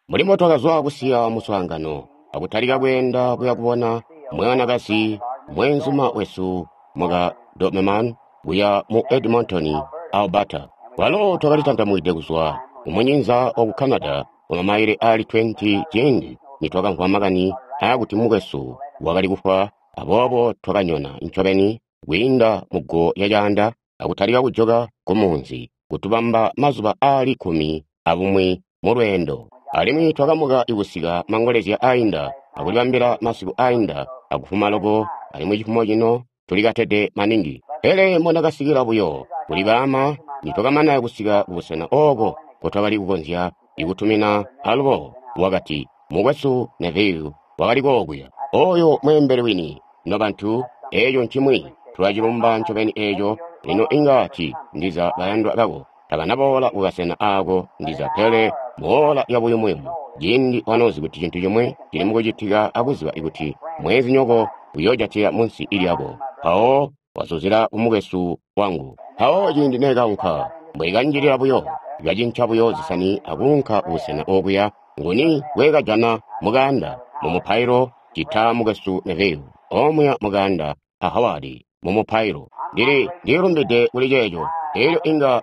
Mbuli mbo twakazwa kusiya muswaangano akutalika kweenda kuya kubona mwanakazi mweenzuma wesu muka Doberman kuya mu Edmonton, Alberta. Kwalo twakali tantamwide kuzwa kumunyinza waku Canada kwa mamaile ali 20 ciindi nitwakamvwa makani aakuti mukwesu wakali kufwa, aboobo twakanyona ncobeni kwiinda mugo lya caanda akutalika kujoka kumunzi kutubamba mazuba aali 11 mulweendo. Alimwi twakamuka kusika mangolezya ainda akulibambila masiku ainda akufuma loko, alimwi cifumo cino tulikatede maningi. Pele mbondakasikila buyo kuli baama nitwakamana kusika kubusena ooko nkotwakali kukonzya ikutumina alubo, wakati, Mukwesu Neville wakali kookuya. Oyo mweembeli wini, nobantu, eco ncimwi, tulacilumba ncobeni eco. Lino inga ci ndiza bayandwa bako tabanaboola kukasena aako ndiza, pele muola lya buyumuyumu, ciindi wanozi kuti cintu cimwi cili mukucitika akuziba kuti mweenzinyoko uyoojatila munsi lyako, mpawo wazuzila kumukwesu wangu. Mpawo ciindi nekaunka, mbwekanjilila buyo, kacinca buyo zisani akuunka kubusena okuya, nguni ngwekajana mukaanda mumupailo cita mukwesu Neville, omuya mukaanda a Howard mumupailo. Ndili ndilumbide kuli ceeco. Elyo inga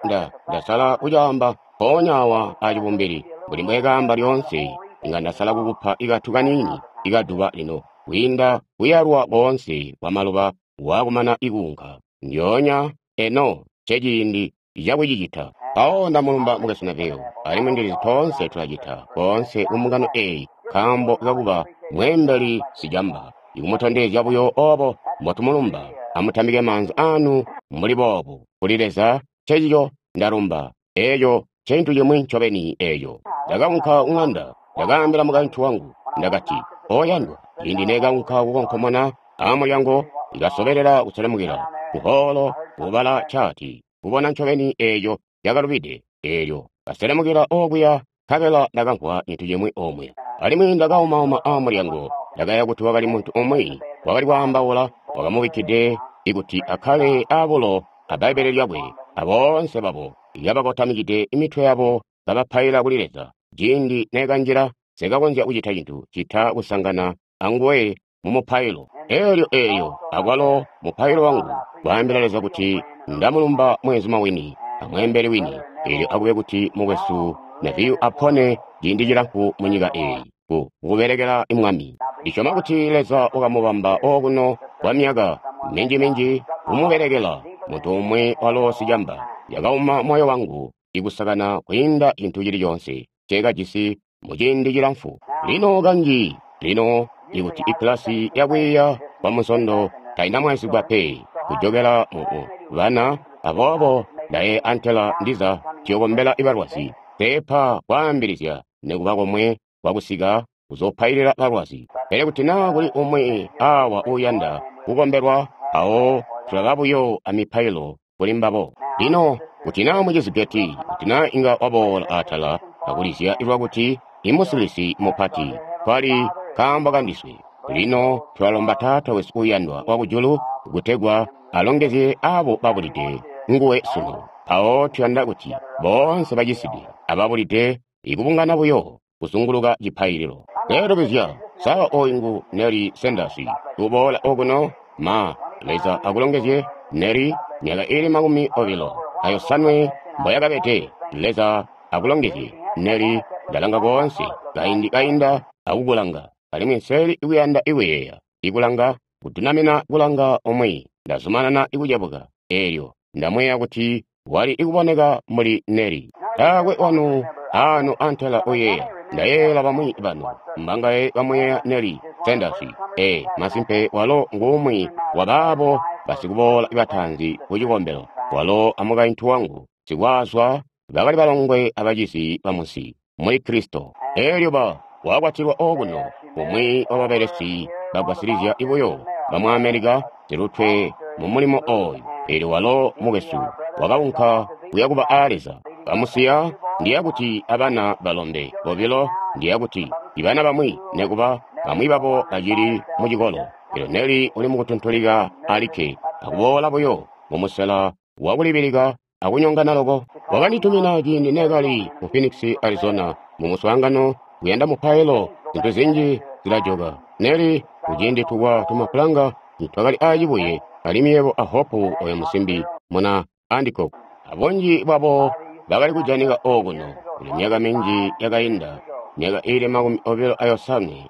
ndasala kucaamba mpoonya awa acibumbili, mbuli mbwekaamba lyoonse, inga ndasala kukupa ikatu kaniini ikaduba lino kwiinda kuyalwa koonse kwa maluba waakumana ikuunka. Ndyoonya eno nceciindi cakucicita. Mpawo ndamulumba mukwesu Neville, alimwi ndilizi toonse tulacita koonse ku mbungano eyi nkaambo kakuba mweembeli sicamba, ikumutondezya buyo obo mbotumulumba. Amutambike maanza anu mbuli boobu kuli Leza. Ncecico ndalumba. Eco ncintu cimwi ncobeni eco. Ndakaunka kuŋanda, ndakaambila mukaintu wangu, ndakati, Oyandwa, ciindi nekaunka kukonkomona amulyango, ikasobelela kuselemukila kuhoolo kubala caati, kubona ncobeni eco cakalubide. Elyo kaselemukila okuya, nkabela ndakamvwa cintu cimwi omuya. Alimwi ndakaumauma amulyango, ndakaya kuti wakali muntu umwi wakali kwaambaula, wakamubikkide ikuti akkale abulo a Bbaibbele lyakwe, aboonse babo kabakotamikide mitwe yabo kabapaila kuli Leza. Ciindi nekanjila, nsekakonzya kucita cintu cita kusangana anguwe mumupailo. Elyo eyo akwalo mupailo wangu, kwaambila Leza kuti ndamulumba mweenzuma wini amweembeli wini. Elyo akube kuti mukwesu Neville apone ciindi cilamfu munyika eyi, ku kubelekela Mwami. Ndisyoma kuti Leza wakamubamba okuno kwa myaka minji-minji kumubelekela. Muntu umwi walo sicamba yakauma moyo wangu ikusakana kwiinda cintu cili coonse nceekajisi muciindi cilamfu. Lino kanji, lino ikuti ikkilasi yakwiiya kwa Munsondo tainamwaizigwa pe kujokela mu bana, aboobo ndaye antela ndiza tuyokombela balwazi, teepa kwaambilizya nikuba komwe kwakusika kuzopailila balwazi. Pele kuti naa kuli umwi awa uuyanda kukombelwa, mpawo tulaba buyo amipailo kuli mbabo. Lino, kuti naa mucizi Gertie, kuti naa inga waboola atala akulizya lwakuti imusilisi mupati, kwali kaambo kandiswe. Lino tulalomba Taata wesu uuyandwa wakujulu kutegwa alongezye abo babulide nguwe sunu. Mpawo tuyanda kuti boonse bacisidwe ababulide ikubungana buyo kuzunguluka cipaililo. Lelubizya, sa oyu ngu Nellie Sanders uboola okuno? Ma, Leza akulongezye, Nellie, myaka ili 28 mboyakabede. Leza akulongezye, Nellie. Ndalanga koonse kaindi kainda akukulanga, alimwi nseli ikuyanda ikuyeeya, ikulanga, kudunamina kulanga umwi. Ndazumanana ikucebuka, eelyo ndamweya kuti wali ikuboneka mbuli Nellie. Taakwe wanu ano antela uyeeya. Ndayeeyela bamwi banu. Mbangaye bamuyeeya Nellie Sanders? Ee, masimpe walo nguumwi wabaabo basikuboola bataanzi ku cikombelo. Walo amukaintu wangu sikwaazwa bakali balongwe abacizi bamunsi muli Kristo. Elyo ba wakwatilwa okuno, umwi wababelesi bagwasilizya buyo bamu America silutwe mu mulimo oyu. Elyo walo mukwesu wakaunka kuya kuba a Leza. Bamusiya, ndiya kuti abana balombe bobilo, ndiya kuti ibana bamwi nekuba bamwi babo bacili mu cikolo. Elyo Nellie uli mukutuntulika alikke, akuboola buyo mumusela wakulibilika akunyongana loko. Wakanditumina ciindi neekali mu Phoenix, Arizona, mu muswaangano. kuyanda mupailo, zintu zinji zilajoka. Neli, kuciindi tukwa tumapulanga nitwakali aacibuye, alimwi yebo a Hope oyo musimbi muna Andikok. Abunji bwabo bakali kujanika okuno kuli myaka minji yakainda, myaka iili 25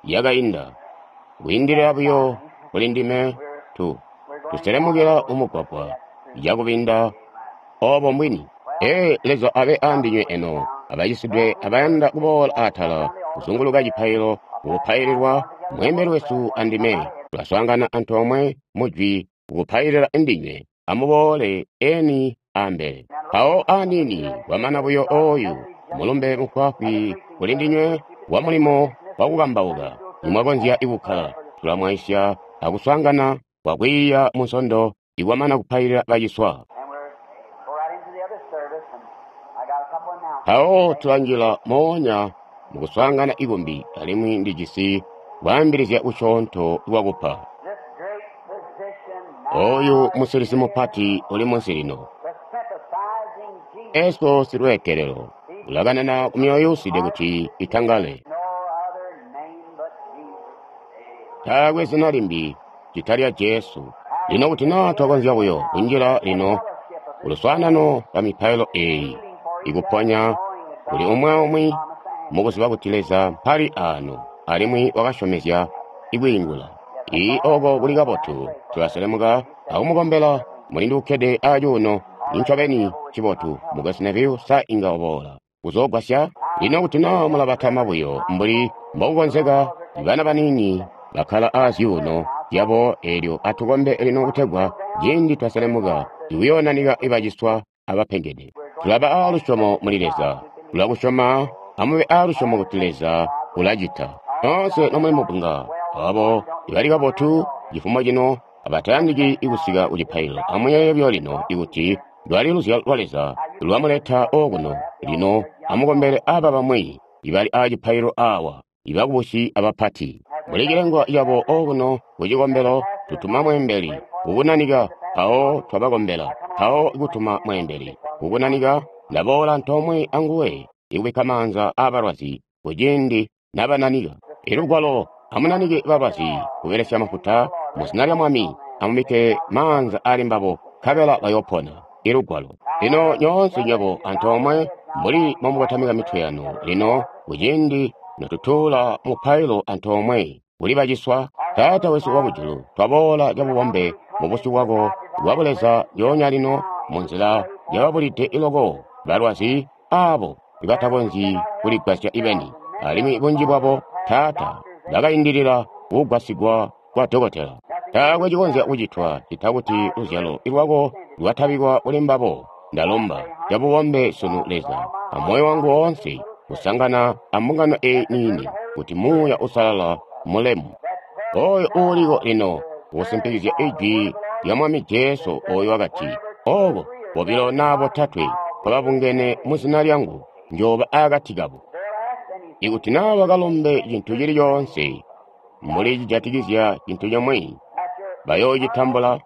yakainda. Kwiindilila buyo kuli ndime tuselemukila mumugwagwa cakubinda obo mbwini. Ee, Leza abe andinywe eno, abacisidwe abayanda kuboola atala kuzunguluka cipailo kukupaililwa. Mweembeli wesu andime tulaswaangana antoomwe mujwi kukupailila ndinywe. Amuboole eni ambele. Mpawo aniini kwamana buyo oyu mulumbe mufwaafwi kuli ndinywe wa mulimo wakukambauka. Nimwakonzya kukkala, tulamwaisya akuswaangana kwa kwiiya mu Nsondo ikwamana kupailila baciswa. Mpawo tulanjila moonya mukuswaangana ikumbi, alimwi ndijisi kwaambilizya kusyoonto kwakupa. Oyu musilisi mupati uli munsi lino, Yesu silweetelelo, ulakanana ku myoyo yuuside kuti itangale. Taakwe zina limbi cita lya Jesu. Lino kuti naa twakonzya buyo kunjila lino kuluswaanano lwa mipailo eeyi, ikuponya kuli umwi aumwi mukuziba kuti Leza mpali aano alimwi wakasyomezya ikwiingula. Ii oko kuli kabotu, tulaselemuka akumukombela mulindi ukkede acuuno. Nincobeni ncibotu, Mukwesu Neville sa inga waboola kuzoogwasya. Lino kuti naa mulabatama buyo mbuli mbokukonzeka, bana baniini bakkala aazyuuno zyabo eelyo atukombe lino kutegwa ciindi twaselemuka ikuyoonanika ibaciswa abapengede. Tulaba aalusyomo muli Leza, tulakusyoma, amube aalusyomo kuti Leza ulacita. Nyoonse nomuli mubunga, abo ibali kabotu cifumo cino abatayandiki kusika kucipaililo, amuyeeye buyo lino ikuti lwali luzyalo lwa Leza lwamuleta okuno. Lino amukombele aba bamwi ibali aacipaililo aawa, ibakubusi abapati. Muli cilengwa cabo okuno kucikombelo, tutuma mweembeli kukunanika, mpawo twabakombela, mpawo kutuma mweembeli kukunanika, ndaboola antoomwe anguwe ikubikka maanza aabalwazi kuciindi nabananika. Ilugwalo, amunanike balwazi kubelesya mafuta muzina lya Mwami, amubikke maanza ali mbabo, nkabela bayoopona. Ilugwalo. Lino nyoonse nywebo antoomwe mbuli mbomukotamika mitwe yanu lino kuciindi notutuula mupailo antoomwe kuli baciswa. Taata wesu wakujulu, twaboola cabubombe mubusyu bwako bwa buleza lyoonya lino munzila yababulide iloko balwazi aabo ibatakonzyi kuligwasya ibeni, alimwi bunji bwabo, Taata, bakaindilila kugwasigwa kwa dokotela. Taakwe cikonzya kucitwa cita kuti luzyalo lwako lwatabikwa kuli mbabo. Ndalomba cabubombe sunu Leza, amoyo wangu woonse, kusangana ambungano eyi niini, kuti Muuya Uusalala mulemu oyo uuliko lino kusimpikizya ijwi lya Mwami Jesu oyo wakati, oko bobilo naa botatwe kababungene muzina lyangu, njooba akati kabo. Ikuti naa bakalombe cintu cili coonse mbuli cijatikizya cintu comwe, bayoocitambula.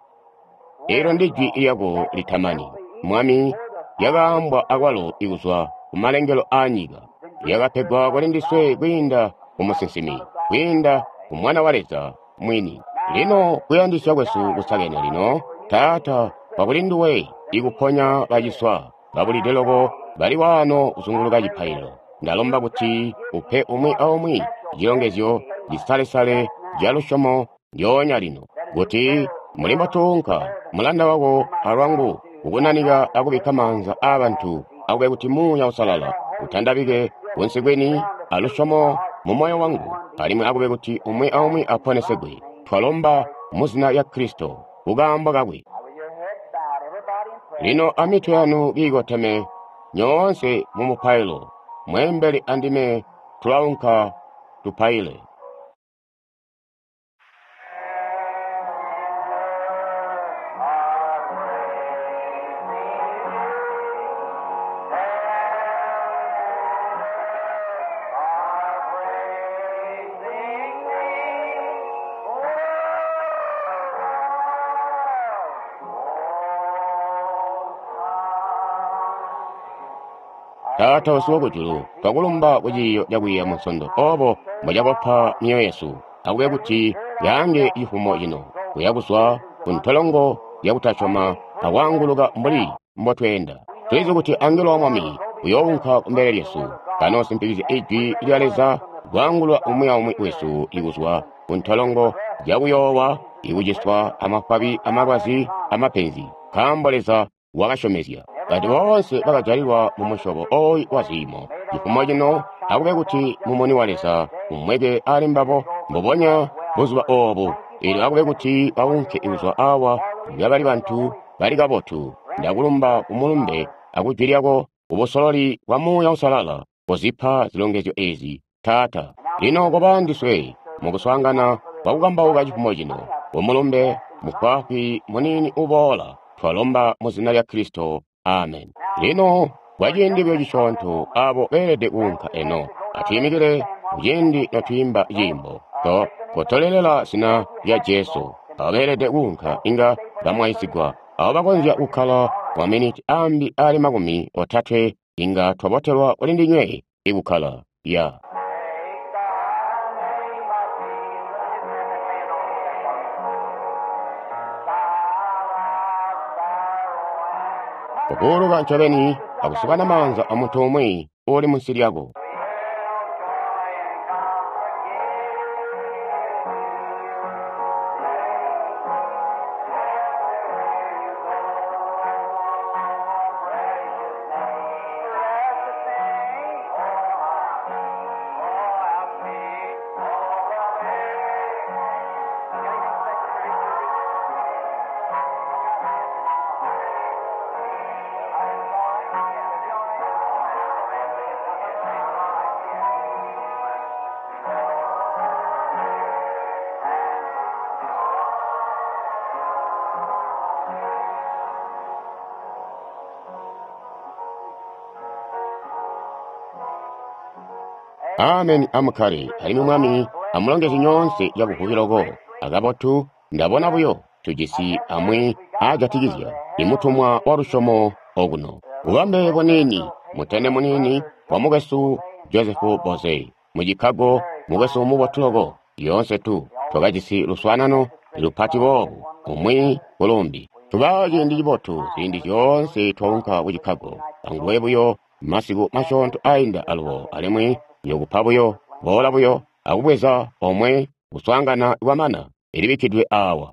Eelyo ndijwi lyako litamani, Mwami, lyakaambwa akwalo ikuzwa kumalengelo aanyika, lyakapegwa kuli ndiswe kwiinda kumusinsimi, kwiinda ku Mwana wa Leza mwini. Lino kuyandisya kwesu kusakene lino, Taata, kwakuli nduwe ikuponya baciswa babulide loko bali waano kuzunguluka cipaililo. Ndalomba kuti upe umwi aumwi cilongezyo cisalesale ca lusyomo lyoonya lino, kuti mbuli mbotuunka mulanda wako alwangu kukunanika akubikka maanza aabantu, akube kuti Muuya Uusalala utandabike kunsi kwini alusyomo mumoyo wangu, alimwi akube kuti umwi aumwi aponesegwe. Twalomba muzina lya Kristo kukaambo kakwe. Lino amitwe yanu kiikoteme nyoonse mumupailo, mweembeli andime tulaunka tupaile. Taata wesu Wakujulu, twakulumba ku ciiyo cakwiiya Munsondo obo mbocakopa myoyo yesu. Akube kuti yaange cifumo cino, kuya kuzwa ku ntolongo yakutasyoma akwaanguluka mbuli mbotweenda. Tulizi kuti angelo wa Mwami uyounka kumbele lyesu, kanoosimpikizya Ijwi lya Leza kwaangulula umwi aumwi wesu ikuzwa ku ntolongo yakuyoowa, ikuciswa amafwabi amalwazi amapenzi, nkaambo Leza wakasyomezya. Bantu boonse bakajalilwa mu musyobo ooyu wa ziimo. Cifumo cino akube kuti mumuni wa Leza umweke ali mbabo mbubonya buzuba oobu. Eelyo akube kuti baunke kuzwa awa kabali bantu bali kabotu. Ndakulumba ku mulumbe akujwi lyako kubusololi bwa Muuya Uusalala kozipa zilongezyo eezi, Taata. Lino koba andiswe mukuswaangana kwakukambauka cifumo cino, kumulumbe mufwaafwi muniini uboola. Twalomba mu zina lya Kristo. Amen. Lino kwaciindi buyo cisyoonto abo beelede kuunka eno. Atwiimikile kuciindi notwiimba ciimbo. To kotolelela zina lya Jesu. Abo beelede kuunka inga bamwaisigwa. Abo bakonzya kukkala kwa maminiti ambi ali 30 inga twabotelwa kuli ndinywe ikukkala. Ya. Kukuuluka ncobeni akusukana maanza amuntu umwi uuli munsi lyako. Amen amukkale, alimwi Mwami amulongezye nyoonse cabuvubi Akabotu ndabona buyo tujisi amwi aajatikizya imutumwa wa lusyomo okuno. Bubambe buniini, mutende muniini wa mukwesu Joseph Boze mu Chicago, mukwesu mubotu loko. Lyoonse tu twakajisi luswaanano lupati boobu umwi kulumbi. Tuba ciindi cibotu ziindi zyoonse twaunka ku Chicago. Anguwe buyo masiku masyoonto ainda alubo alimwi yokupa buyo boola buyo akubweza omwe kuswaangana kwamana ilibikkidwe awa.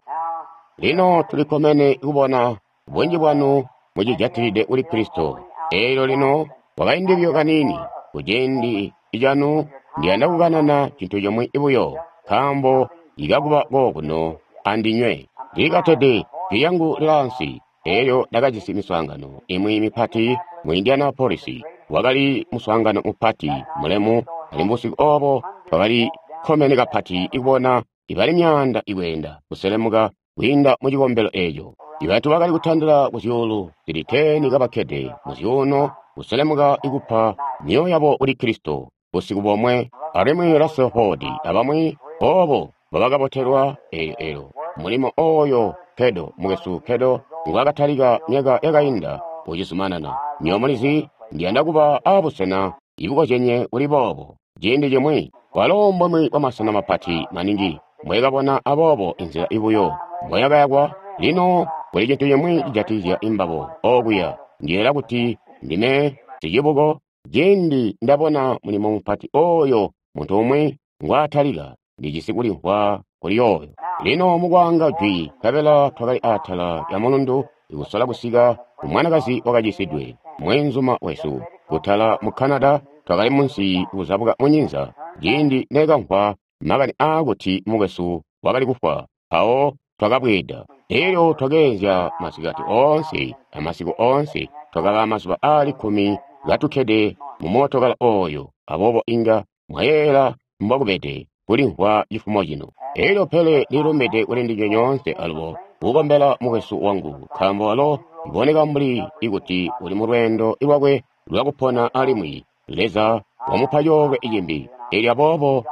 Lino tulikkomene kubona bunji bwanu mucijatilide kuli Kristo. Eelyo lino kwakaindi buyo kaniini kuciindi canu ndiyanda kukanana cintu cimwi buyo, nkaambo ikakuba kokuno andinywe. Ndilikatede jwi lyangu lilaansi. Eelyo ndakajisi miswaangano imwi mipati mu Indianapolis. Wakali muswaangano mupati mulemu, alimwi busiku oobo twakali kkomene kapati kubona ibali myaanda ikweenda kuselemuka kwiinda mu cikombelo eeco. Ibantu bakali kutandila ku zyuulu zili 10 kabakkede mu zyuuno kuselemuka ikupa myoyo yabo kuli Kristo busiku bomwe, alimwi Russell Ford abamwi oobo mbobakabotelwa eelyo eelyo mulimo ooyo Kedo mukwesu Kedo ngwaakatalika myaka yakainda ucizumanana. Nywebo mulizi ndiyanda kuba abusena ibukozyenye kuli boobo ciindi cimwi. Walo mbumwi bwamasena mapati maningi mbwekabona aboobo inzila ibuyo mboyakayakwa. Lino kuli cintu cimwi cijatikizya imbabo okuya. Ndiyeeya kuti ndime sicibuko ciindi ndabona mulimo mupati ooyo muntu umwi ngwaatalika, ndijisi kulimvwa kuli yooyo. Lino mukwaanga jwi nkabela twakali atala lya mulundu ikusola kusika ku mwanakazi wakacisidwe, mweenzuma wesu kutala mu Canada. Twakali munsi kuzabuka munyinza ciindi nekamvwa makani aakuti mukwesu wakali kufwa, mpawo twakabweeda. Eelyo twakeenzya masikati oonse amasiku oonse, twakaba mazuba aali 10 katukkede mu mootokala ooyo, aboobo inga mwayeeyela mbokubede kulimvwa cifumo cino. Eelyo pele ndililumbide kuli ndinywe nyoonse alubo kukombela mukwesu wangu, nkaambo walo iboneka mbuli ikuti uli mulweendo lwakwe lwakupona alimwi Leza wamupa coolwe cimbi. Eelyo aboobo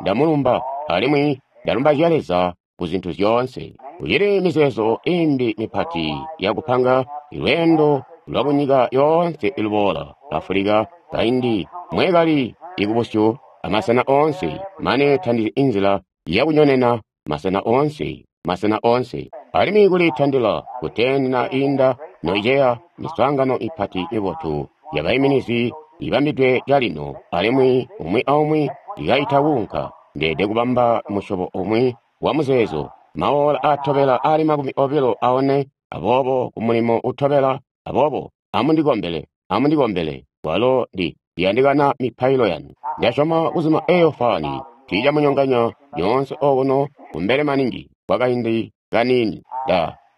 ndamulumba alimwi ndalumbazya Leza ku zintu zyoonse. Kucili mizeezo imbi mipati yakupanga lweendo lwakunyika yoonse iluboola, Afulika Kaindi mwekali ikubusyu amasena oonse, mane tandizi inzila yakunyonena masena oonse, masena oonse. Alimwi kuli tandila kuteni na inda noiceya miswaangano ipati mibotu yabaiminizi ibambidwe calino, alimwi umwi aumwi ikaita kuunka. Ndeede kubamba musyobo umwi wa muzeezo, maola atobela ali 24, aboobo ku mulimo utobela, aboobo amundikombele, amundikombele, walo ndi yandikana mipailo yanu. Ndasyoma kuzima eyo fani, tiicamunyonganya nyoonse okuno kumbele maningi kwakaindi kaniini.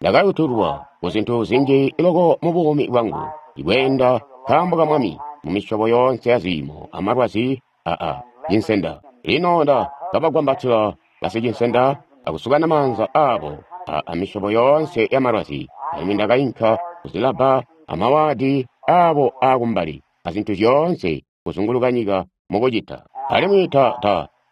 Ndakayutulwa ku zintu zinji loko mu buumi bwangu, ikweenda nkaambo ka Mwami mu misyobo yoonse ya ziimo amalwazi aa cinsenda. Lino nda kabagwambatila basicinsenda akusukana maanza aabo a misyobo yoonse ya malwazi, alimwi ndakainka kuzilabba amawaadi aabo aakumbali azintu zyoonse kuzunguluka nyika mukucita. Alimwi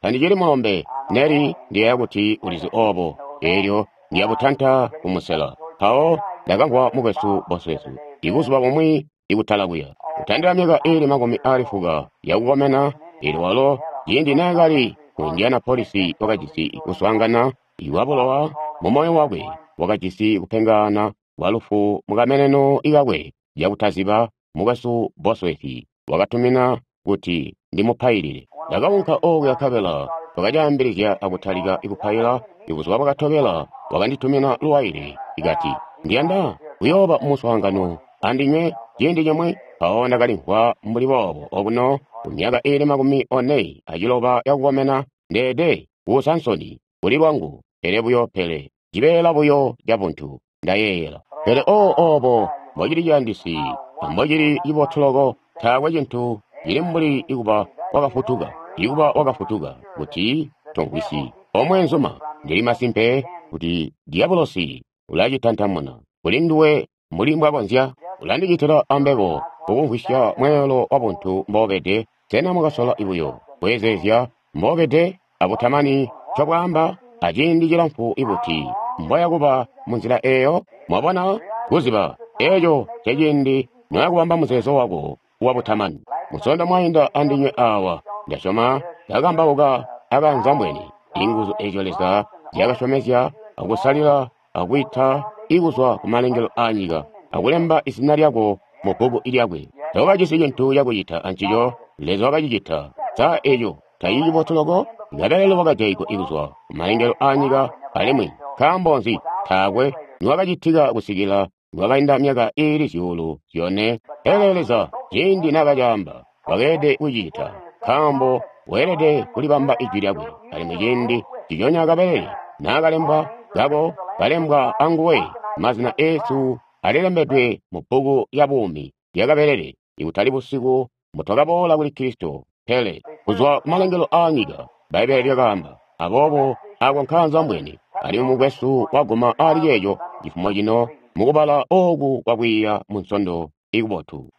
tandicili mulombe, Neli ndiyeeya kuti ulizi obo, eelyo ndiyabutanta kumusela. Mpawo ndakamvwa mukwesu Bosworth ibuzuba bumwi ikutala kuya, kutandila myaka iili 90 yakukomena, eelyo walo ciindi naakali ku Indianapolis wakajisi kuswaangana iwabulowa mu moyo wakwe, wakajisi kupengaana kwa lufu mukameneno kakwe cakutaziba. Mukwesu Bosworth wakatumina kuti ndimupailile. Ndakaunka okuya nkabela twakacaambilizya akutalika kupaila. Ibuzuba bwakatobela wakanditumina luwaile ikati, ndiyanda kuyooba muswaangano andinywe ciindi cimwi. Mpawo ndakalimvwa mbuli boobo okuno ku myaka iili 46 yakukomena, ndeede kuusa nsoni kuli lwangu, pele buyo pele cibeela buyo cabuntu ndayeeyela. Pele oobo mbocili ciyandisi ambocili cibotu loko, taakwe cintu cili mbuli ikuba wakafutuka, ikuba wakafutuka kuti tomvwisi. Omweenzuma, ndili masimpe kuti diabolosi ulacitantamuna kuli nduwe mbuli mbwakonzya. Ulandicitila ambebo kukumvwisya mweelo wabuntu mbobede. Sena mwakasola buyo kweezeezya mbobede abutamani ncobwaamba aciindi cilamfu ibuti mboya kuba munzila eeyo? Mwabona, kuziba eeco ceciindi noyakubamba muzeezo wako wabutamani. Musondo mwainda andinywe aawa, ndasyoma ndakambauka akanzambweni inguzu eezyo Leza zyakasyomezya akusalila akwiita ikuzwa kumalengelo aanyika akulemba izina lyako mu bbuku lyakwe. Tokajisi cintu cakucita ancico, Leza wakacicita. Sa eco tacili cibotu loko? Kabelele wakajaigwa ikuzwa kumalengelo aanyika, alimwi nkaambo nzi taakwe niwakacitika kusikila niwakainda myaka iili 4,000? Pele Leza ciindi naakacaamba wakeelede kucicita, nkaambo weelede kulibamba ijwi lyakwe. Alimwi ciindi ciconya kabelele naakalembwa kako kalembwa anguwe, mazina eesu alilembedwe mu bbuku lya buumi lya kabelele, ikutali busiku mbutwakaboola kuli Kristo, pele kuzwa kumalengelo aanyika, Bbaibbele lyakaamba. Aboobo ako nkaanzambwene, alimwi mukwesu waguma ali ceeco cifumo cino mukubala ooku kwakwiiya mu Nsondo ikubotu.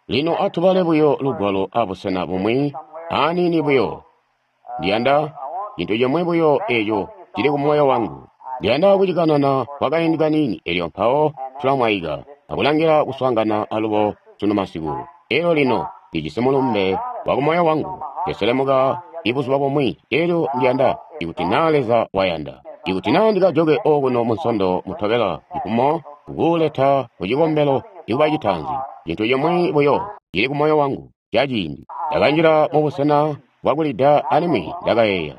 Lino atubale buyo lugwalo abusena bumwi aniini buyo. Ndiyanda cintu cimwi buyo eeco cili ku moyo wangu. Ndiyanda kucikanana kwakaindi kaniini, elyo mpawo tulamwaika akulangila kuswaangana alubo sunu masiku. Elyo lino ndijisi mulumbe wa kumoyo wangu, ndiselemuka ibuzuba bumwi, elyo ndiyanda ikuti naa Leza wayanda, ikuti naa ndikajoke okuno mu Nsondo mutobela cifumo kukuleta ku cikombelo ikuba citaanzi. Cintu cimwi buyo cili ku moyo wangu caciindi. Ndakanjila mubusena bwakulida alimwi ndakayeeya,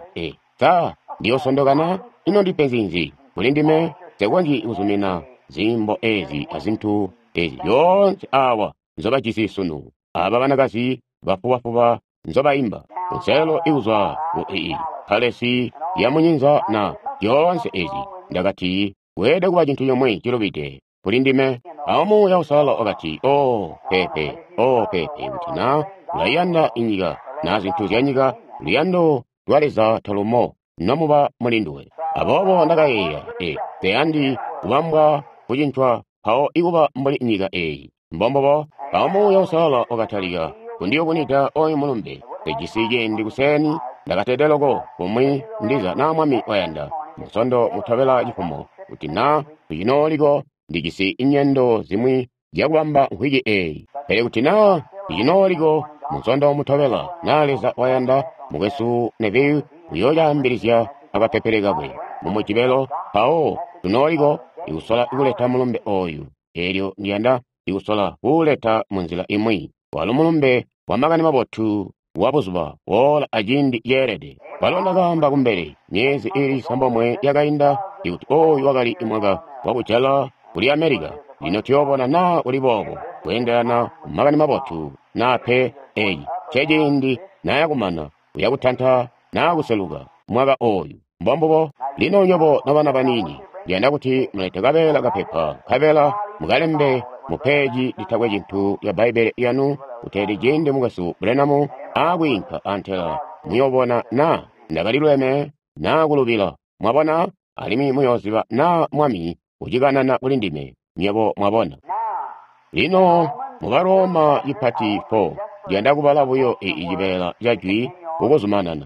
sa ndiyosondokana? Ino ndipenzi nzi kuli ndime? Nsekonzyi kuzumina ziimbo eezi azintu ezi zyoonse aawa nzobajisi sunu, aba banakazi bafubafuba nzobaimba kunselelo ikuzwa ku ii palesi ya munyinza na zyoonse ezi. Ndakati weelede kuba cintu cimwi cilubide kuli ndime. Awo Muuya Uusalala wakati, oh peepe, oh peepe, kuti na ulaiyanda inyika na zintu zya nyika, luyando lwa Leza talumo nomuba muli nduwe. Aboobo ndakayeeya, nseyandi kubambwa kucincwa mpawo ikuba mbuli nyika eeyi. Mbombubo. Awo Muuya Uusalala wakatalika kundiyubunwida oyu mulumbe. Nsejisi ciindi kuseeni, ndakatede loko kumwi ndiza naa Mwami wayanda Munsondo mutobela cifumo, kuti naa tucinooliko ndijisi nyendo zimwi zyakubamba mvwiki eeyi. Pele kuti naa icinooliko Munsondo mutobela, naa Leza wayanda, Mukwesu Neville uyoolyaambilizya akapepele kakwe mu Mujibelo, mpawo tunooliko ikusola kuleta mulumbe ooyu. Eelyo ndiyanda ikusola kuuleta munzila imwi. Walo mulumbe wa Makani Mabotu wa buzuba boola aciindi ceelede. Walo ndakaamba kumbele myezi iili cisambomwe yakainda ikuti ooyu wakali mwaka wakujala kuli America. Lino tuyoobona naa kuli boobo kweendelana ku Makani Mabotu naa pe. Eeci nceciindi naayakumana uyakutanta naa kuseluka mwaka ooyu. Mbombubo. Lino nywebo nobana baniini, ndiyanda kuti mulete kabeela kapepa nkabela mukalembe mu peeji litakwe cintu lya Bbaibbele lyanu kuteeti ciindi Mukwesu Branham aakwiinka antela muyoobona naa ndakaliluleme naa kulubila. Mwabona? Alimwi muyooziba naa Mwami ucikanana kuli ndime, nywebo mwabona. Lino mu Baloma cipati 4, ndiyanda kubala buyo cibeela ca Jwi kukuzumanana.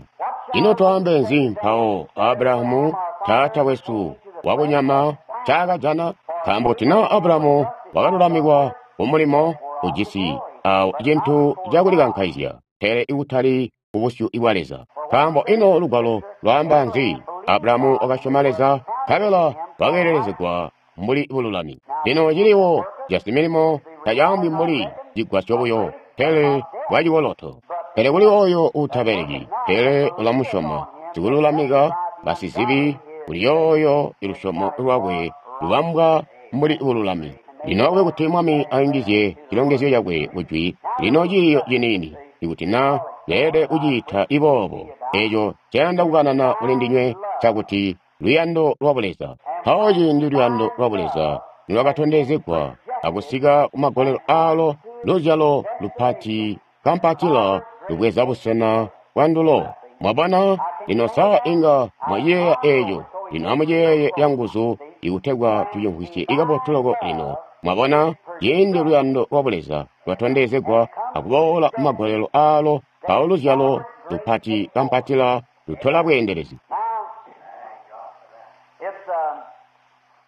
Ino twaambe nzi mpawo Abrahamu taata wesu wakunyama ncaakajana? Nkaambo kuti naa Abrahamu wakalulamikwa kumulimo ujisi awo cintu cakulikankaizya, pele ikutali kubusyu bwa Leza. Nkaambo ino lugwalo lwaamba nzi? Abrahamu wakasyoma Leza, nkabela wakeelelezegwa mbuli bululami. Lino ciliwo casimilimo tacaambwi mbuli cigwasyo buyo, pele bwacikoloto. Pele kuli ooyo uutabeleki, pele ulamusyoma sikululamika basizibi, kuli yooyo ilusyomo lwakwe lubambwa mbuli bululami. Lino akube kuti Mwami ayungizye cilongezyo cakwe kujwi lino ciiyo ciniini, ikuti naa beelede kuciita iboobo. Eeco ncayanda kukanana kuli ndinywe ncakuti luyando lwa Buleza. Mpawo ciindi luyando lwa Buleza nilwakatondezegwa akusika kumagolelo aalo, luzyalo lupati kampatila lubweza busena bwandulo. Mwabona? Lino sa inga mwaciyeeya eeco? Lino amuciyeeye canguzu ikutegwa tucimvwisye kabotu loko lino. Mwabona? Ciindi luyando lwa Buleza lwatondezegwa akuboola kumagolelo aalo, mpawo luzyalo lupati kampatila lutola bweendelezi.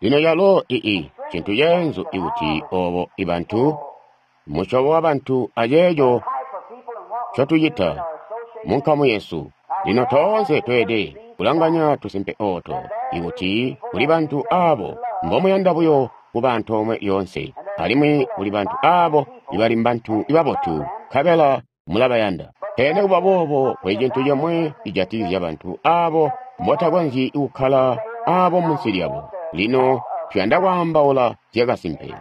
Lino calo cintu ceenzu ikuti obo ibantu, musyobo wabantu aceeco ncotucita munkamu yesu. Lino toonse tweelede kulanganya tusimpe ooto, ikuti kuli bantu aabo mbomuyanda buyo kuba antoomwe lyoonse, alimwi kuli bantu aabo ibali mbantu babotu, nkabela mulabayanda. Pele nikuba boobo kuli cintu comwe cijatikizya bantu aabo mbotakonzyi kukkala aabo munsi lyabo. Lino tuyanda kwaambaula zyakasimpe.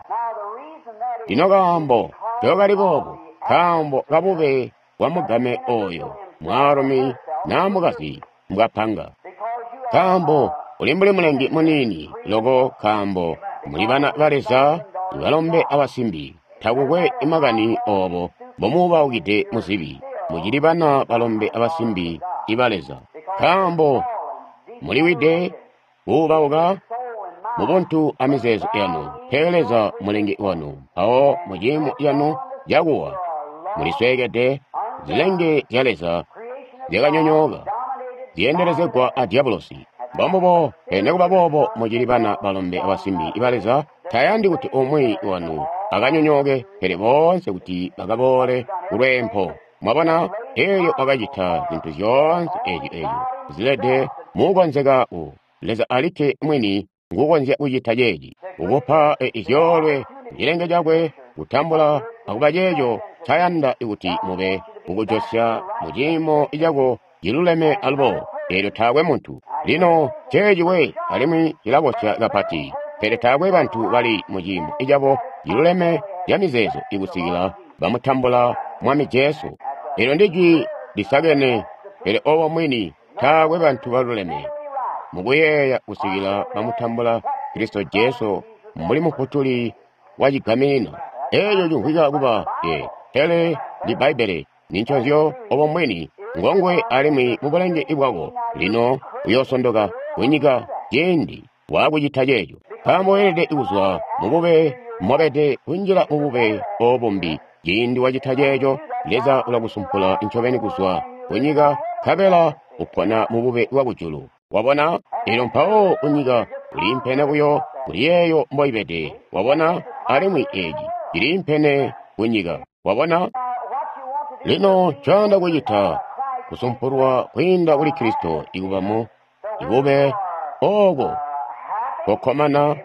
Lino kaambo ncokali boobo, nkaambo kabube bwamugame ooyo mwaalumi naa mukazi mbwapanga. Nkaambo uli mbuli mulengi muniini loko, nkaambo muli bana ba Leza balombe abasimbi. Takukwe makani oobo mbomuubaukide muzibi, mucili bana balombe abasimbi iba Leza. Nkaambo muliwide kuubauka mubuntu amizeezo yanu, pele Leza mulengi wanu. Mpawo muciimo canu cakuwa mulisweekede. Zilenge zya Leza zyakanyonyooka, zyeendelezegwa a Diabolosi. Mbombubo, pele nikuba boobo mucili bana balombe abasimbi iba Leza. Tayandi kuti umwi wanu akanyonyooke, pele boonse kuti bakaboole kulweempo. Mwabona? Eelyo wakacita zintu zyoonse eezyo zilede muukonzeka u Leza alikke mwini nguukonzya kucita ceeci, kukupa zyoolwe cilenge cakwe kutambula akuba ceeco ncayanda kuti mube, kukujosya muciimo cako ciluleme alubo. Eelyo taakwe muntu. Lino ceeci we, alimwi cilabosya kapati, pele taakwe bantu bali muciimo cabo ciluleme camizeezo ikusikila bamutambula Mwami Jesu. Eelyo ndijwi lisakene, pele obo mwini taakwe bantu baluleme mukuyeeya kusikila bamutambula Kristo Jesu mbuli Mufutuli wa cigaminina. Eeco cimvwika kuba ye, pele ndi Bbaibbele ninconzyo obo mbwini ngongwe alimwi mubulenge bwako. Lino uyoosondoka kunyika ciindi waakucita ceeco, nkaambo weelede kuzwa mubube mwabede kunjila mubube obo mbi. Ciindi wacita ceeco, Leza ulakusumpula ncobeni kuzwa kunyika, nkabela upona mubube bwakujulu. Wabona? Eelyo mpawo kunyika uliimpene buyo kuli yeeyo mboibede. Wabona? Alimwi eeci ciliimpene kunyika. Wabona? Lino ncoyanda kucita kusumpulwa kwiinda kuli Kristo ikuba mu ibube ooko kokkomana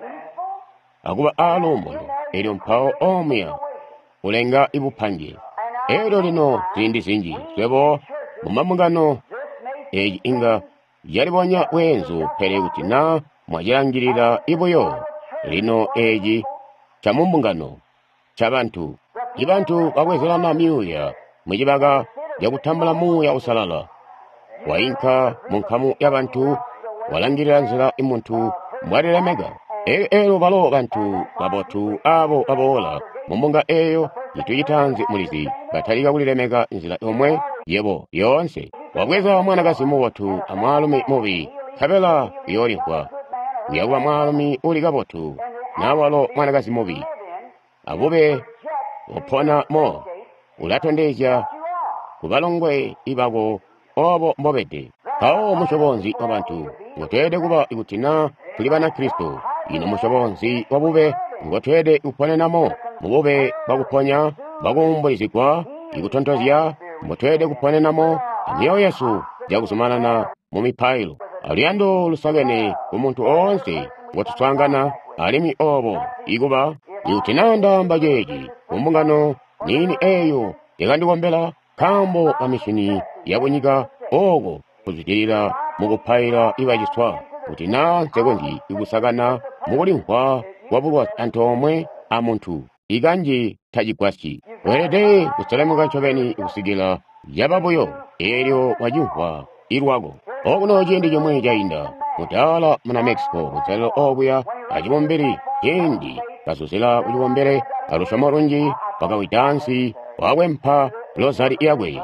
akuba aaluumuno, elyo mpawo omuya ulenga ibupange. Elyo lino ziindi zinji swebo mumambungano eeci inga yalibonya bweenzu, pele kuti naa mwacilangilila ibuyo lino eeci camumbungano cabantu. Ibantu babwezelana myuuya mucibaka cakutambula Muuya Uusalala. Wainka munkamu yabantu, walangilila nzila imuntu mbwalilemeka. Elyo balo bantu babotu aabo baboola mumbunga eeyo, cintu citaanzi mulizi, batalika kulilemeka nzila yomwe yebo yoonse. Wabweza mwanakazi mubotu amwaalumi mubi, nkabela uyoolimvwa uyakuba mwaalumi uli kabotu naa walo mwanakazi mubi. Abube upona mo ulatondezya kubalongwe ibako obo mbobede. Mpawo musyobo nzi wabantu ngotweelede kuba ikuti naa tuli Banakristo? Ino musyobo nzi wabube ngotweelede kuponenamo? Mubube bwakuponya, bwakuumbulizigwa, ikutontozya mbotweelede kuponenamo amyoyo yesu cakuzumanana mumipailo aluyando lusakene kumuntu oonse ngotuswaangana, alimwi obo ikuba ikuti naa ndaamba ceeci kumbungano niini eeyo yakandikombela nkaambo kamishini yakunyika ooko kuzwidilila mukupaila ibaciswa, kuti naa nsekonzyi kusakana mukulimvwa kwabulwazi antoomwe amuntu, ikanji tacigwasyi. Weelede kuselemuka ncobeni kusikila yaba buyo eelyo wacimvwa ilwako. Okuno ciindi cimwi cainda, mudaala muna Mexico kunselelo okuya acibumbili, ciindi kazuzila kucibumbili alusyomo lunji, wakawida ansi wakwempa lozali yakwe.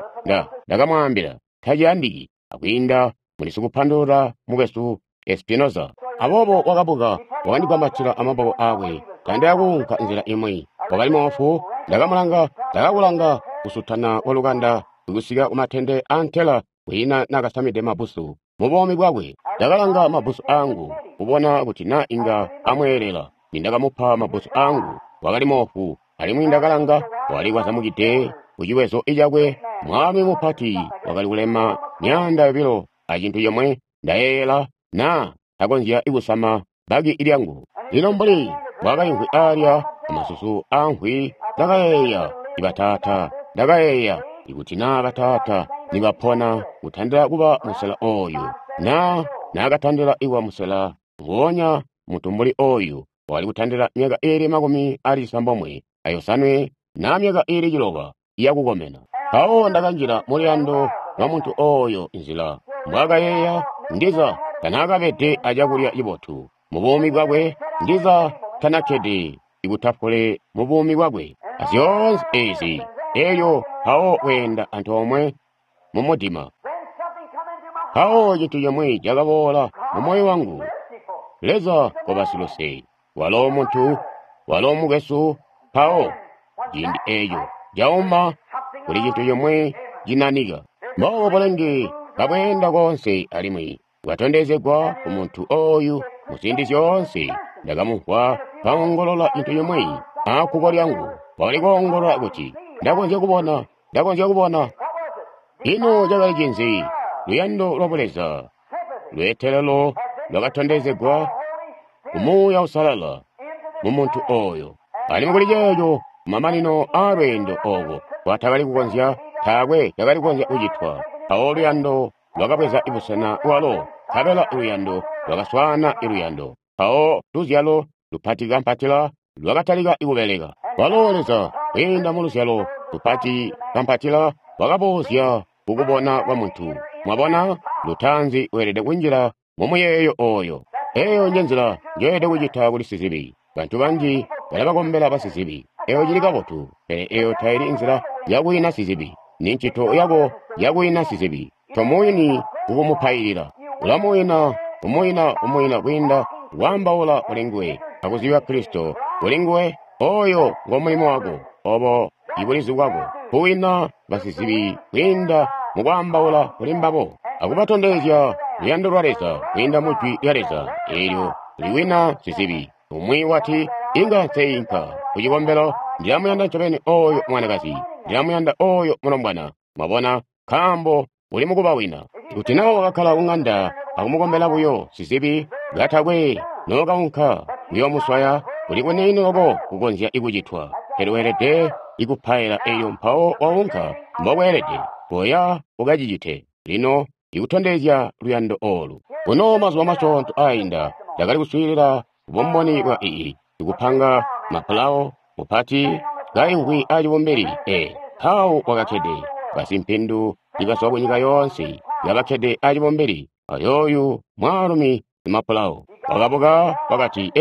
Ndakamwaambila taciyandiki akwiinda muli sikupandulula mukwesu Espinoza. Aboobo wakabuka, wakandigwambatila amaboko aakwe, kandaya kuunka nzila imwi. Wakali moofu. Ndakamulanga, ndakakulanga kusutana kwalukanda kusika kumatende antela kwiina nakasamide mabbusu mubuumi bwakwe. Ndakalanga mabbusu aangu kubona kuti naa inga amweelela. Nindakamupa mabbusu aangu, wakali moofu, alimwi ndakalanga wali kwazamukide kuciwezo cakwe. Mwaalumi mupati wakali kulema 200 acintu comwe. Ndayeeyela naa takonzya kusama bbaki lyangu. Lino mbuli mbwaakaimvwi aalya amasusu aamvwi, ndakayeeya bataata, ndakayeeya ikuti naa bataata nibapona kutandila kuba musela ooyu, naa naakatandila kuba musela nguonya muntu mbuli ooyu wakali kutandila myaka iili 97 naa myaka iili 6 yakukomena. Mpawo ndakanjila muluyando lwa muntu ooyo nzila mbwaakayeeya, ndiza tanaakabede acakulya cibotu mubuumi bwakwe, ndiza tanakkede ikutafule mubuumi bwakwe, azyoonse eezi, elyo mpawo kweenda antoomwe mumudima. Mpawo cintu cimwi cakaboola mumoyo wangu. Leza koba siluse, walo muntu, walo mukwesu. Mpawo ciindi eeco cauma kuli cintu cimwi cinanika. Mboobo bulenge kabweenda koonse alimwi bwatondezegwa kumuntu ooyu muziindi zyoonse. Ndakamumvwa kaongolola cintu cimwi akkuko lyangu. Wakali koongolola kuti, ndakonzya kubona, ndakonzya kubona. Ino cakali cinzi? Luyando lwa Buleza, lweetelelo lwakatondezegwa ku Muuya Uusalala mumuntu ooyo. Alimwi kuli ceeco kumamanino aalweendo ooko kwatakali kukonzya, taakwe cakali kukonzya kucitwa. Mpawo luyando lwakabweza busena bwalo, nkabela luyando lwakaswaana luyando. Mpawo luzyalo lupatikampatila lwakatalika kubeleka. Walo Leza kwiinda muluzyalo lupatikampatila wakaboozya kukubona kwa muntu. Mwabona, lutaanzi weelede kunjila mumuyeeyo ooyo. Eeyo njenzila njoyelede kucita kuli sizibi. Bantu banji balabakombela basizibi. Eeyo cili kabotu, pele eeyo taili nzila yakuwina sizibi. Ni ncito yako yakuwina sizibi. Tomuwini kukumupailila. Ulamuwina, umuwina, umuwina kwiinda kwaambaula kuli nguwe akuzibya Kristo kuli nguwe. Ooyo ngo mulimo wako, obo ibulizi bwako, kuwina basizibi kwiinda mukwaambaula kuli mbabo akubatondezya luyando lwa Leza kwiinda mu Jwi lya Leza eelyo liwina sizibi. Umwi wati, inga nseinka kucikombelo, ndilamuyanda ncobeni ooyo mwanakazi. Ndilamuyanda oyo mulombwana. Mwabona, nkaambo uli mukuba wina. Kuti na wakakkala kung'anda akumukombela buyo sizibi katakwe nokaunka kuyomuswaya, kuli kuniini loko kukonzya kucitwa. Pele weelede ikupaila eyo mpawo waunka mbokweelede, koya ukacicite. Lino ikutondezya luyando olu. Kuno mazuba masyoonto ainda ndakali kuswiilila bumboni bwa ii sikupanga mapulao mupati kaimvwi acibumbili mpawo wakakkede basimpindu ibazwa kunyika yoonse kabakkede acibumbili ayooyu mwaalumi simapulao wakabuka wakati,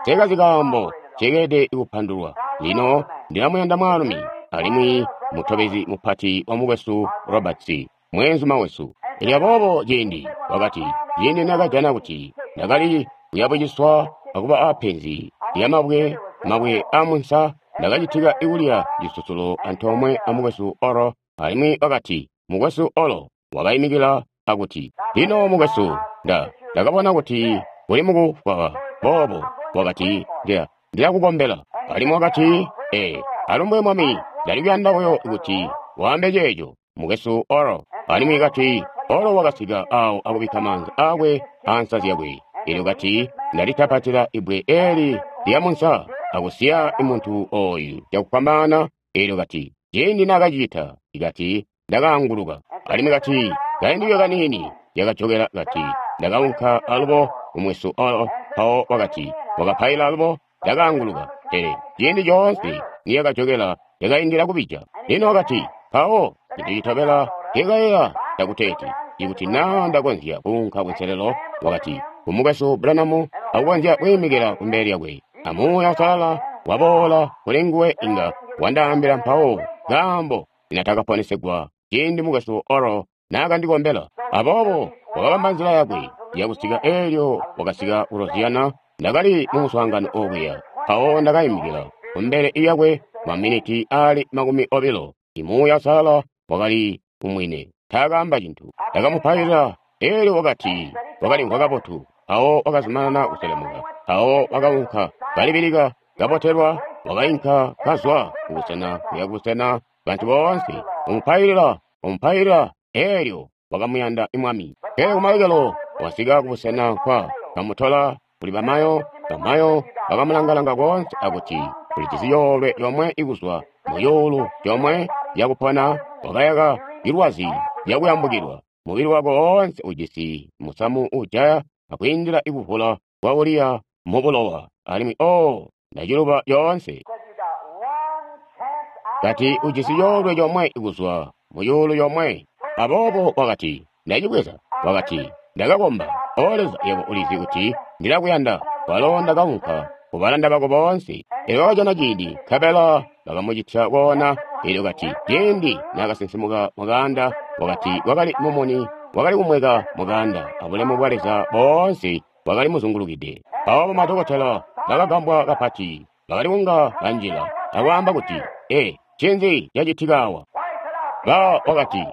sekazi kaambo cekeede kupandulwa. Lino ndilamuyanda mwaalumi alimwi mutobezi mupati wa mukwesu Roberts, mweenzuma wesu. Elyo aboobo ciindi wakati, ciindi nakajana kuti ndakali kuyabuciswa akuba apenzi lyamabwe mabwe amunsa, ndakacitika ikulya cisusulo antoomwe amukwesu Oro. Alimwi wakati, mukwesu Oro wakaimikila akuti, lino mukwesu, ndakabona kuti uli mukufwa boobo. Wakati, ndilakukombela. Alimwi wakati, alumbwe mwami, ndali kuyanda buyo kuti waambe ceeco, mukwesu Oro. Alimwi kati, Oro wakasika awo akubikka maanza aakwe ansa zyakwe. Elyo kati, ndalitapatila ibbwe eli lyamunsa akusiya muntu oyu cakufwambaana. Elyo kati, ciindi nakacicita, kati, ndakaanguluka. Alimwi kati, kaindi kaniini yakajokela kati, ndakaunka alubo kumwesu Oro. Mpawo wakati, wakapaila alubo, ndakaanguluka. Pele ciindi coonse niyakajokela yakaindila kubija. Lino wakati, mpawo cintu citobela ndikayeeya ndakuteeti, ikuti naa ndakonzya kuunka kunselelo, wakati, kumukwesu Branham akukonzya kwiimikila kumbele lyakwe, amuuya usalala waboola kuli nguwe inga wandaambila mpawo kaambo ninatakaponesegwa ciindi mukwesu Oro naakandikombela. Aboobo wakabamba nzila yakwe yakusika eelyo wakasika ku Louisiana. Ndakali mu muswaangano okuya, mpawo ndakaimikila kumbele lyakwe maminiti ali 20. Imuuya usalala wakali umwine, taakaamba cintu. Ndakamupailila, eelyo wakati wakalimvwa kabotu. Mpawo wakazumanana kuselemuka. Mpawo wakaunka kalibilika kabotelwa, wakainka kazwa kubusena kuya kubusena, bantu boonse umupailila, umupailila, eelyo wakamuyanda Mwami. Pele kumalekelo wasika kubusena nkwa kamutola kuli bamayo, bamayo bakamulangalanga koonse akuti ulijisi yoolwe yomwe ikuzwa muyuulu yomwe yakupona, wakayaka ilwazi lyakuyambukilwa. Mubili wako woonse ujisi musamu ujaya akwiindila ikuvula kwa uliya mubulowa. Alimwi ndaciluba yoonse. Kati ujisi yoolwe yomwe ikuzwa muyuulu yomwe. Aboobo wakati, ndacibweza. Wakati, ndakakomba, O Leza, yebo ulizi kuti ndilakuyanda. Walo ndakaunka kubalanda bako boonse. Elyo wakajana ciindi, nkabela bakamucitya koona. Elyo kati, ciindi naakasinsimuka mukaanda, wakati wakali mumuni wakali kumweka mukaanda, abulemu bwa Leza boonse bwakali muzungulukide. Mpawo bamadokotela bakagambwa kapati, bakali kunga banjila akwaamba kuti, ncinzi cacitika awa? Ba wakati,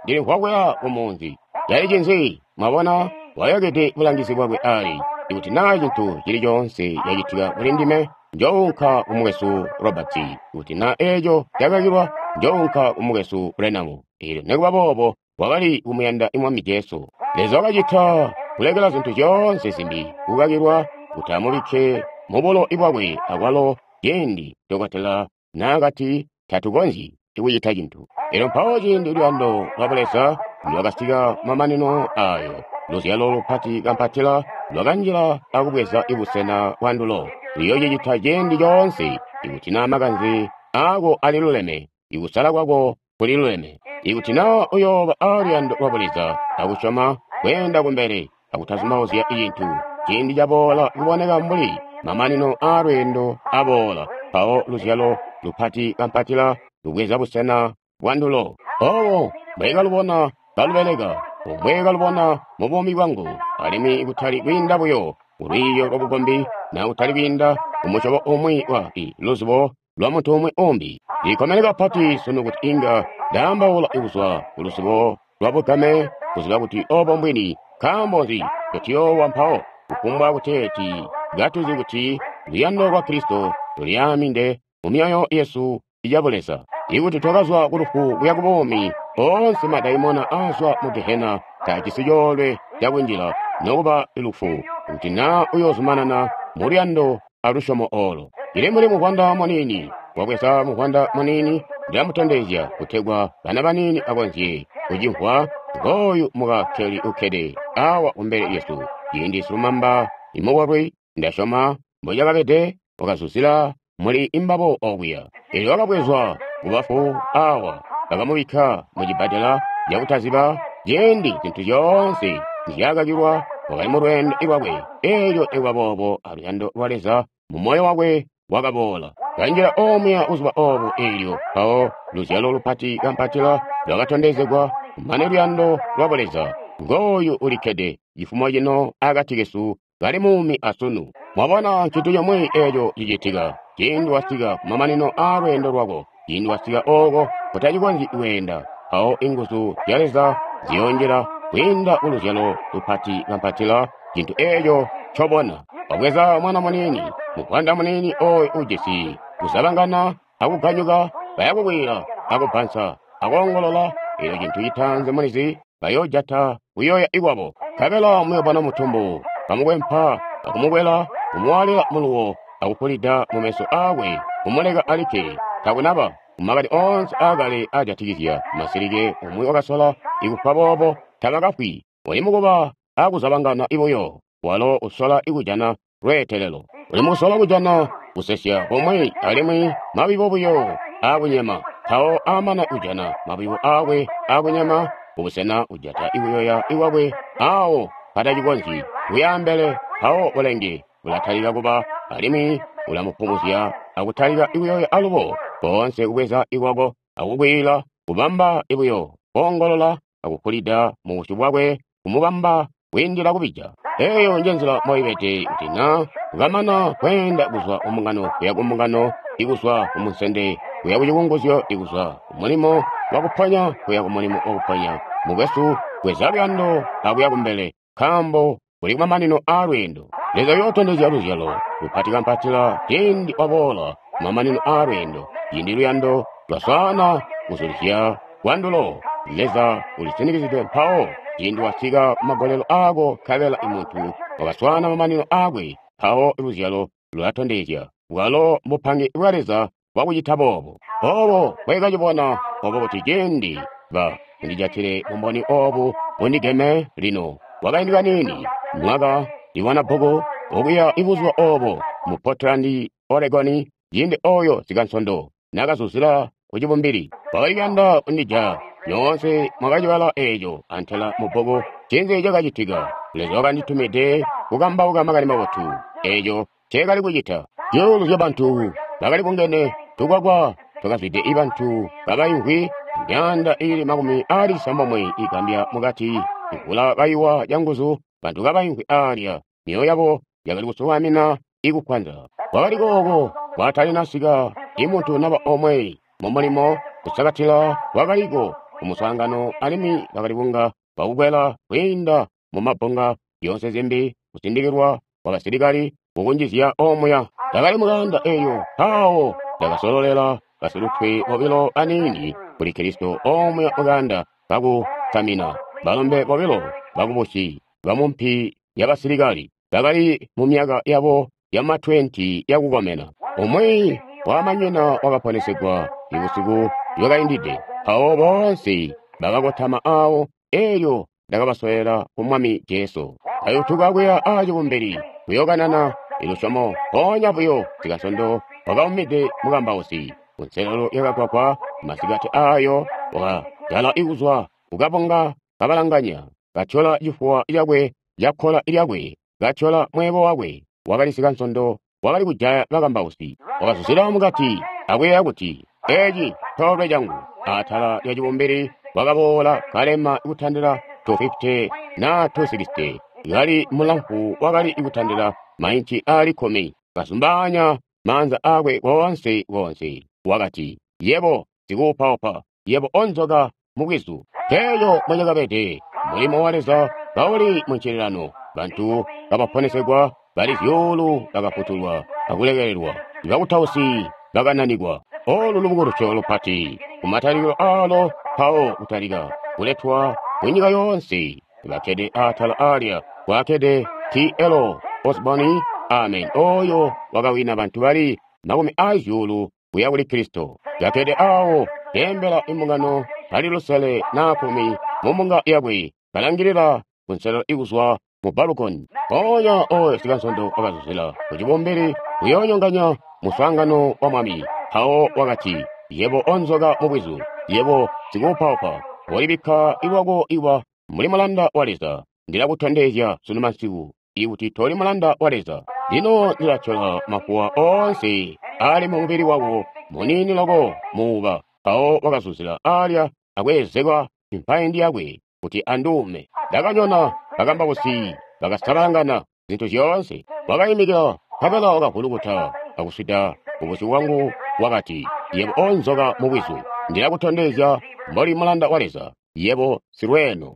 ndilimvwa kuya kumunzi. Cali cinzi? Mwabona, wayakide bulangizi bwakwe ali, ikuti naa cintu cili coonse cacitika kuli ndime, njounka kumukwesu Roberts. Ikuti naa eeco cakakilwa, njounka kumukwesu Branham. Eelyo nikuba boobo wakali kumuyanda Mwami Jesu. Leza wakacita kulekela zintu zyoonse zimbi kukakilwa kuti amubikke mubulo bwakwe akwalo ciindi dokotela naakati tatukonzyi kucita cintu. Elyo mpawo ciindi luyando lwa Buleza lwakasika mamanino ayo, luzyalo lupati kampatila lwakanjila akubweza ibusena bwandulo. Luyocicita ciindi coonse ikuti naa makanze aako aliluleme, ikusala kwako kuliluleme. Ikuti naa uyooba aaluyando lwa Buleza akusyoma kweenda kumbele akutazumauzya cintu, ciindi caboola kuboneka mbuli mamanino aalweendo aboola, mpawo luzyalo lupati kampatila lubweza busena bwandulo. Obo mbwekalubona kalubeleka, mbwekalubona mu buumi bwangu, alimwi kutali kwiinda buyo kulwiiyo lwabukombi na kutali kwiinda kumusyobo umwi wa luzubo lwa muntu umwi umbi. Ndikomene kapati sunu kuti inga ndaambaula kuzwa kuluzubo lwa bugame, kuziba kuti obo mbwini. Nkaambo nzi ncotuyoowa mpawo? Kufumbwa kuteeti katuzi kuti luyando lwa Kristo lulyaaminde mu myoyo yesu ya Buleza. Ikuti twakazwa ku lufu kuya ku buumi, oonse madaimona aazwa mu gehena taajisi coolwe cakunjila nokuba lufu, kuti naa uyoozumanana mu luyando a lusyomo oolo. Cili mbuli muvwanda muniini. Wabweza muvwanda muniini, ndilamutondezya kutegwa bana baniini bakonzye kucimvwa. Ngooyu muka Kelly ukkede awa kumbele lyesu. Ciindi silumamba imukolwi, ndasyoma mbocakabede, wakazuzila muli imbabo okuya. Elyo wakabwezwa kubafu awa, bakamubikka mu cibbadela cakutaziba, ciindi zintu zyoonse nzyaakakilwa, wakali mu lweendo lwakwe. Elyo nikuba boobo aluyando lwa Leza mu moyo wakwe wakaboola. Kanjila omuya buzuba obo eelyo mpawo luzyalo lupati kampatila lwakatondezegwa, kumane luyando lwa Buleza. Ngooyu ulikkede cifumo cino akati kesu kali muumi asunu. Mwabona ncintu comwe eco cicitika ciindi wasika kumamanino aa lweendo lwako, ciindi wasika ooko kutacikonzyi kweenda, mpawo inguzu zya Leza ziyoonjila kwiinda ku luzyalo lupati kampatila cintu eco ncobona. Wabweza mwana muniini, muvwanda muniini oyo ujisi kuzabangana akuganyuka, bayakukwiila akubbansa akoongolola, elyo cintu citaanzi mulizi bayoojata kuyoya ikwabo. Nkabela muyobona mutumbu kamukwempa akumukwela, kumuwaalila muluwo akupulida mumeso aakwe, kumuleka alikke. Takunaba mumakani oonse aakale aajatikizya masilike umwi wakasola ikufa boobo, tabakafwi. Uli mukuba akuzabangana buyo, walo usola kujana lweetelelo. Uli mukusola kujana kusesya komwe alimwi mabibo buyo aakunyema. Mpawo amana kujana mabibo aakwe aakunyema, kubusena kujata ikuyoya ikwakwe awo patacikonzyi kuyaambele, mpawo bulenge bulatalika kuba alimwi ulamupumuzya akutalika ikuyoya alubo, koonse kubweza ikwako akukwiila, kubamba buyo koongolola akupulida mu busyu bwakwe, kumubamba kwiindila kubija. Eyo nje nzila mboibede kuti na ukamana kweenda kuzwa ku mbungano kuya ku mbungano, ikuzwa ku munsende kuya ku cikunguzyo, ikuzwa ku mulimo wakuponya kuya ku mulimo wakuponya. Mukwesu, bweza luyando akuya kumbele, nkaambo kuli kumamanino aa lweendo. Leza uyootondezya luzyalo lupati kampatila ciindi waboola kumamanino aa lweendo, ciindi luyando lwaswaana kuzulizya kwandulo. Leza ulisinikizidwe mpawo ciindi wasika kumagolelo aako, nkabela muntu wakaswaana mamanino aakwe, mpawo luzyalo lulatondezya. Bwalo mbupange bwa Leza bwakucita boobo. Obo bwekacibona obo kuti ciindi ba ndijatile bumboni obu bundigeme lino. Kwakaindi kaniini, mwaka libona bbuku okuya ibuzuba obo mu Portland, Oregon, ciindi oyo sikansondo nakazuzila ku cibumbili. Wakali kuyanda kundija. Nyoonse mwakacibala eco antela mu bbuku. Ncinzi cakacitika? Leza wakanditumide kukambauka makani mabotu. Eco nceekali kucita. Zyuulu zya bantu bakali bungene, tukwakwa twakazwide bantu kabaimvwi, myaanda iili makumi aali cisambomwe igambya mukati, imvula kaiwa canguzu, bantu kabaimvwi aalya, myoyo yabo yakali kusukamina ikukwanza. Kwakali kooko kwatalinasika imuntu naba omwe mu mulimo kusakatila kwakaliko ku muswaangano, alimwi bakali kunga bakukwela kwiinda mu mabbunga zyoonse zimbi, kusindikilwa kwa basilikali kukunjizya omuya. Ndakali mukaanda eyo, mpawo ndakasololela basilutwe bobilo baniini kuli Kristo omuya mukaanda kakusamina, balombe bobilo bakubusi bamumpi yabasilikali bakali mu myaka yabo yama 20 yakukomena. Umwi wamanyina wakaponesegwa ibusiku bwakaindide. Mpawo boonse bakakotama awo, elyo ndakabasolela ku Mwami Jesu. Kayutuka kuya aacibumbili kuyokanana ilusyomo, mpoonya buyo sikasondo wakaumide mukambausi kunselelo yakagwagwa masikati ayo, wakajala ikuzwa kukabunga kabalanganya, katyola cifuwa cakwe cakkola lyakwe, katyola mweebo wakwe. Wakali sikansondo wakali kujaya bakambausi. Wakazuzila mukati akuyeeya kuti, eci coolwe cangu. Atala lya cibumbili wakaboola kalema kutandila 250 na 260, kali mulamfu wakali kutandila mainci aali 10, kazumbaanya maanza aakwe koonse koonse. Wakati, yebo sikuupaupa, yebo onzoka mubwizu. Teeyo mbocakabede mulimo wa Leza kauli muncililano, bantu kabaponesegwa, bali zyuulu bakafutulwa akulekelelwa, bakutausi bakananikwa. Olu lubukulusyo lupati kumatalikilo aalo mpawo kutalika kuletwa ku nyika yoonse. Bakkede atala alya kwaakkede T.L. Osborn, amen, oyo wakawina bantu bali 200,000 kuya kuli Kristo. Kakkede awo keembela imbungano bali 5 na 10 mu mbunga yakwe, kalangilila kunselelo ikuzwa mu balukoni. Mpoonya oyo sikansondo wakazuzila ku cibumbili kuyoonyonganya muswaangano wa Mwami. Mpawo wakati, Yebo onzoka mubwizu, yebo sikuupaupa, wolibikka lwako iwa mbuli mulanda wa Leza. Ndilakutondezya sunu masiku ikuti toli mulanda wa Leza. Lino ndilatyola mafuwa oonse aali mu mubili wako muniini loko muuba. Mpawo wakazuzila alya akweezekwa impaindi yakwe kuti anduume. Ndakanyona bakambausi bakasabalangana zintu zyoonse. Wakaimikila nkabela wakavulukuta akuswida kubusyu bwangu wakati, Yebo onzoka mubwizu, ndilakutondezya mboli mulanda wa Leza, yebo silweeno.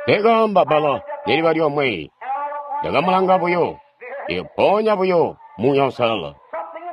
Ndakaamba bbala neliba lyomwe, ndakamulanga buyo, mpoonya buyo Muuya Uusalala,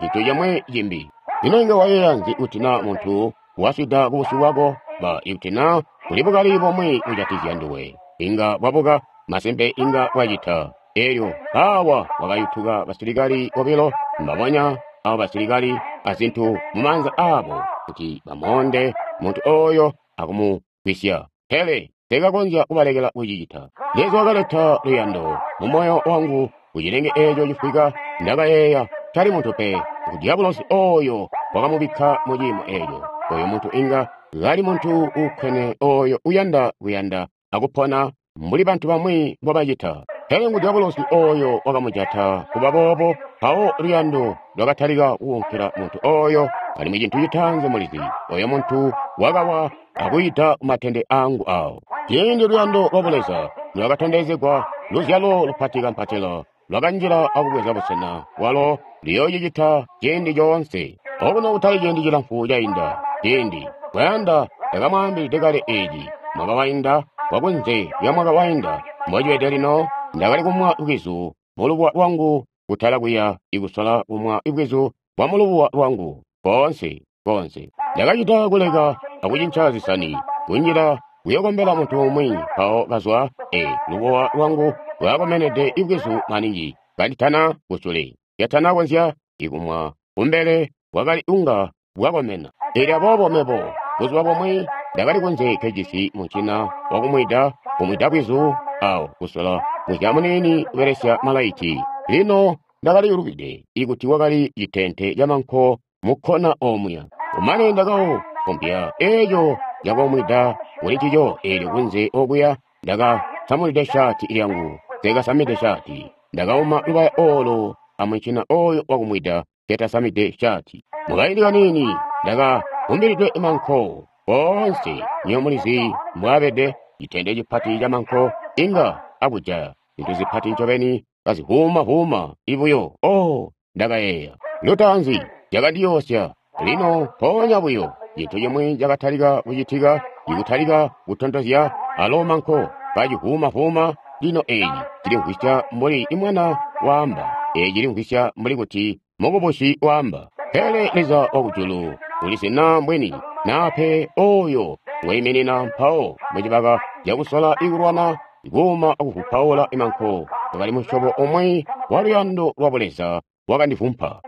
cintu cimwi cimbi. Ino inga wayeeya nzi kuti naa muntu waswida kubusyu bwako? Ba ikuti naa kuli bukali bomwe kujatikizya nduwe, inga bwabuka, masimpe inga bwacita. Elyo awa wakayutuka basilikali bobilo, mbabonya abo basilikali azintu mumaanza aabo kuti bamoonde muntu oyo akumugwisya. Pele teekakonzya kubalekela kucicita. Leza wakaleta luyando mu moyo wangu kucilenge eeco cifwika. Ndakayeeya, tali muntu pe, ngu dyabulosi oyo wakamubikka mu ciimo eeco. Oyo muntu inga kali muntu uukkwene oyo uyanda kuyanda akupona mbuli bantu bamwi mbobacita. Pele ngu dyabulosi oyo wakamujata kuba boobo. Mpawo luyando lwakatalika kuunkila muntu oyo, alimwi cintu citaanzi mulizi, oyo muntu wakawa akuyida kumatende angu awo. Ciindi luyando lwa Buleza lwakatondezegwa, luzyalo lupati kampatila lwakanjila akubweza busena bwalo luyoocicita ciindi coonse. Okuno kutali ciindi cilamfu cainda, ciindi kwayanda ndakamwaambilide kale eeci mwaka wainda wakunze lya mwaka wainda mbocibede lino, ndakali kumwa bwizu mulubuwa lwangu kutala kuya ikusola kumwa bwizu bwa mulubuwa lwangu koonse koonse. Ndakacita kuleka akucinca zisani, kunjila kuyokombela muntu umwi, mpawo kazwa lubuwa lwangu lwakakomenede ibwizu maningi kanditana kusule, yatana konzya ikumwa kumbele bwakali unga bwakomena. Elyo aboobo mebo buzuba bumwi ndakali kunze nkejisi muncina wakumwida, kumwida bwizu awo kusola muzya muniini kubelesya malaiti. Lino ndakali lubide ikuti wakali citente camanko mukkona omuya. Kumane ndakaupompya eeco cakomwida kuli ncico, eelyo kunze okuya ndakasamulide shaati lyangu, nseekasamide shaati. Ndakauma lubaya oolo amuncina oyo wakumwida nketasamide shaati. Mukaindi kaniini ndakavumbilidwe manko koonse. Nywebo mulizi mbwaabede citende cipati camanko inga akujaya zintu zipati ncobeni kazivuuma-vuuma ibuyo. Oh, ndakayeeya lutaanzi cakandiyoosya. Lino mpoonya buyo cintu cimwi cakatalika kucitika, ikutalika kutontozya alo manko kacivuuma-vuuma. Lino eeci cilimvwisya mbuli imwana waamba, eeci cilimvwisya mbuli kuti mukubusi waamba. Pele Leza wakujulu ulizi naa mbwini naa pe oyo ngwaiminina mpawo mucibaka cakusola ikulwana kuuma akuvupaula imanko wakali musyobo umwi wa luyando lwa Buleza wakandivumpa.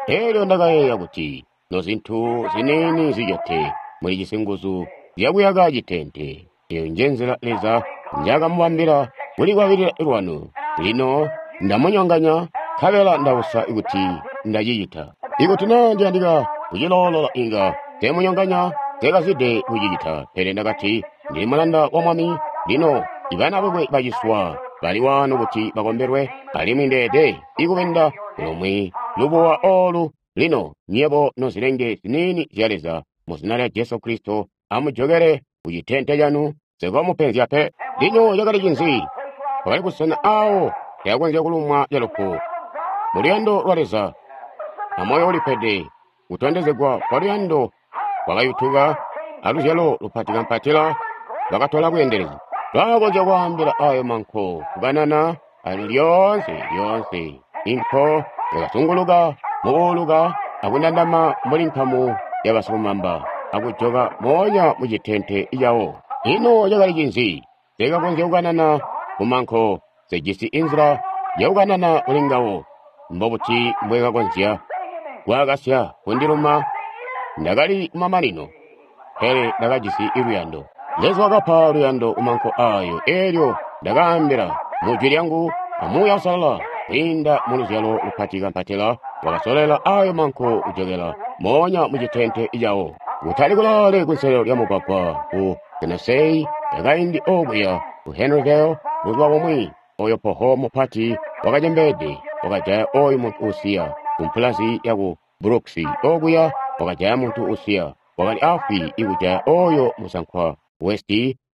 Elyo ndakayeeya kuti nozintu ziniini zicete mulijisi nguzu zyakuyaka citente. Eyo nje nzila Leza njakamubambila kulikwabilila lwanu. Lino ndamunyonganya nkabela ndausa kuti ndacicita. Ikuti naa ndiyandika kuciloolola inga teemunyonganya, teekazide kucicita. Pele ndakati ndili mulanda wa Mwami. Lino ibana bakwe baciswa bali waano kuti bakombelwe, alimwi ndeede ikubenda kulumwi lubuwa oolu. Lino nywebo nozilenge ziniini zya Leza, mu zina lya Jesu Kristo, amujokele ku citente canu, nsikomupenzya pe. Lino cakali cinzi? Kwakali busena aawo teakonzya kulumwa calufu. Mu luyando lwa Leza amoyo ulipede, kutondezegwa kwa luyando kwakayutuka aluzyalo lupati kampatila lwakatola bweendelezi. Lwakakonzya kwaambila ayo manko kukanana alimwi lyoonse lyoonse inko yakazunguluka mukuuluka akundandama mbuli nkamu ya basilumamba, akujoka moonya mu citente cawo. Ino cakali cinzi? Nse kakonzya kukanana ku manko, nse jisi inzila ya kukanana kuli ngawo. Mbobuti Mbwe kakonzya kwaakasya kundiluma? Ndakali kumamanino, pele ndakajisi luyando. Leza wakapa luyando kumanko ayo. Elyo ndakaambila mu jwi lyangu a Muuya Uusalala, kwiinda mu luzyalo lupati kampatila, wakasolela ayo manko kujokela moonya mu citente cawo. Kutali kulaale kunselelo lya mugwagwa ku Tennessee yakaindi okuya ku Henryville, buzuba bumwi, oyo poho mupati wakacembeede wakajaya oyu muntu usiya ku mpulazi yaku Brooks okuya, wakajaya muntu usiya, wakali afwi ikujaya oyo musankwa West.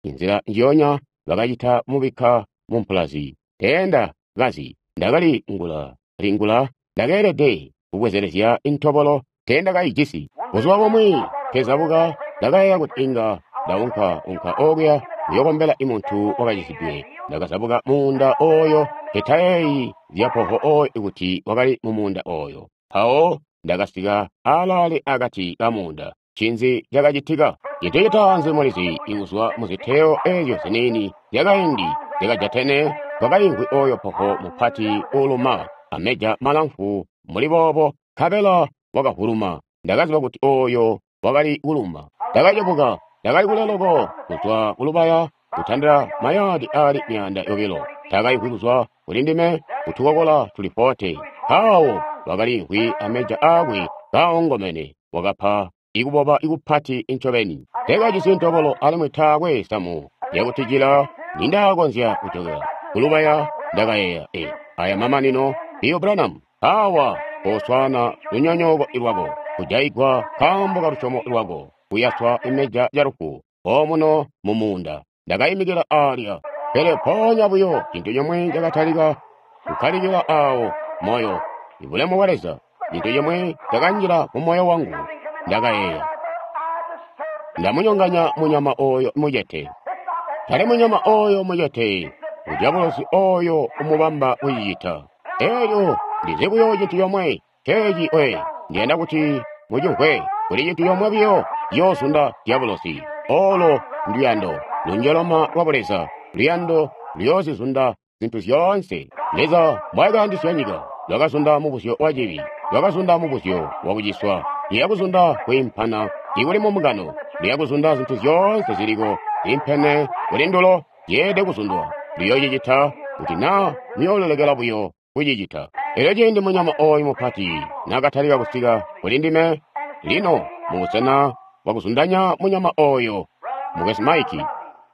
Inzila njiyonya bakacita kumubikka mu mpulazi. Teenda kazi, ndakali ngula lingula, ndakeelede kubwezelezya intobolo, teenda kaijisi. Buzuba bumwi nkezabuka, ndakayeeya kuti inga ndaunka unka okuya kuyokombela imuntu wakacisidwe. Ndakazabuka muunda oyo, nketayeeyi zya poho oyo kuti wakali mu muunda oyo. Mpawo ndakasika alaale akati ka muunda. Ncinzi cakacitika? Cintu citaanzi mulizi, ikuzwa muziteyo ezyo ziniini zyakaindi zyakajatene, kwakaimvwi oyo poho mupati uuluma, ameja malamfu mbuli boobo, nkabela wakavuluma. Ndakaziba kuti oyo wakali kuluma. Ndakacebuka, ndakali kule loko kuzwa kulubaya, kutandila mayaadi ali 200. Takaimvwi kuzwa kuli ndime kutukokola tuli 40. Mpawo wakaliimvwi ameja aakwe kaongomene, wakapa ikuboba ikupati incobeni. Teekajisi ntobolo alimwi taakwe samu lyakutijila nindaakonzya kujokela kulubaya. Ndakayeeya, e, aya mamanino, Bill Branham, awa koswaana lunyonyooko lwako, kujaigwa nkaambo ka lusyomo lwako, kuyaswa imeja lyalufu, omuno mu muunda. Ndakaimikila alya. Pele mpoonya buyo cintu cimwe cakatalika kukkalikila awo moyo, ibulemu bwa Leza, cintu cimwe cakanjila mu moyo wangu. Ndakayeeya, ndamunyonganya munyama oyo mucete. Tali munyama oyo mucete, udyabulosi oyo umubamba kucicita. Elyo ndizi buyo cintu comwe, ceeci we, ndiyanda kuti mucimvwe, kuli cintu comwe buyo ciyoozunda dyabulosi. Olo nduyando, lunjoloma lwa Buleza, luyando luyoozizunda zintu zyoonse. Leza mbwaakayandisya nyika, lwakazunda mubuzyo wa cibi, lwakazunda mubuzyo wa kuciswa, luyakuzunda kwiimpana ikuli mu mbungano, luyakuzunda zintu zyoonse ziliko ziimpene kuli ndulo, zyeelede kuzundwa. Luyoocicita kuti naa muyoololekela buyo kucicita. Elyo ciindi munyama oyu mupati naakatalika kusika kuli ndime, lino mubusena bwakuzundanya munyama oyo, Mukwesu Mike,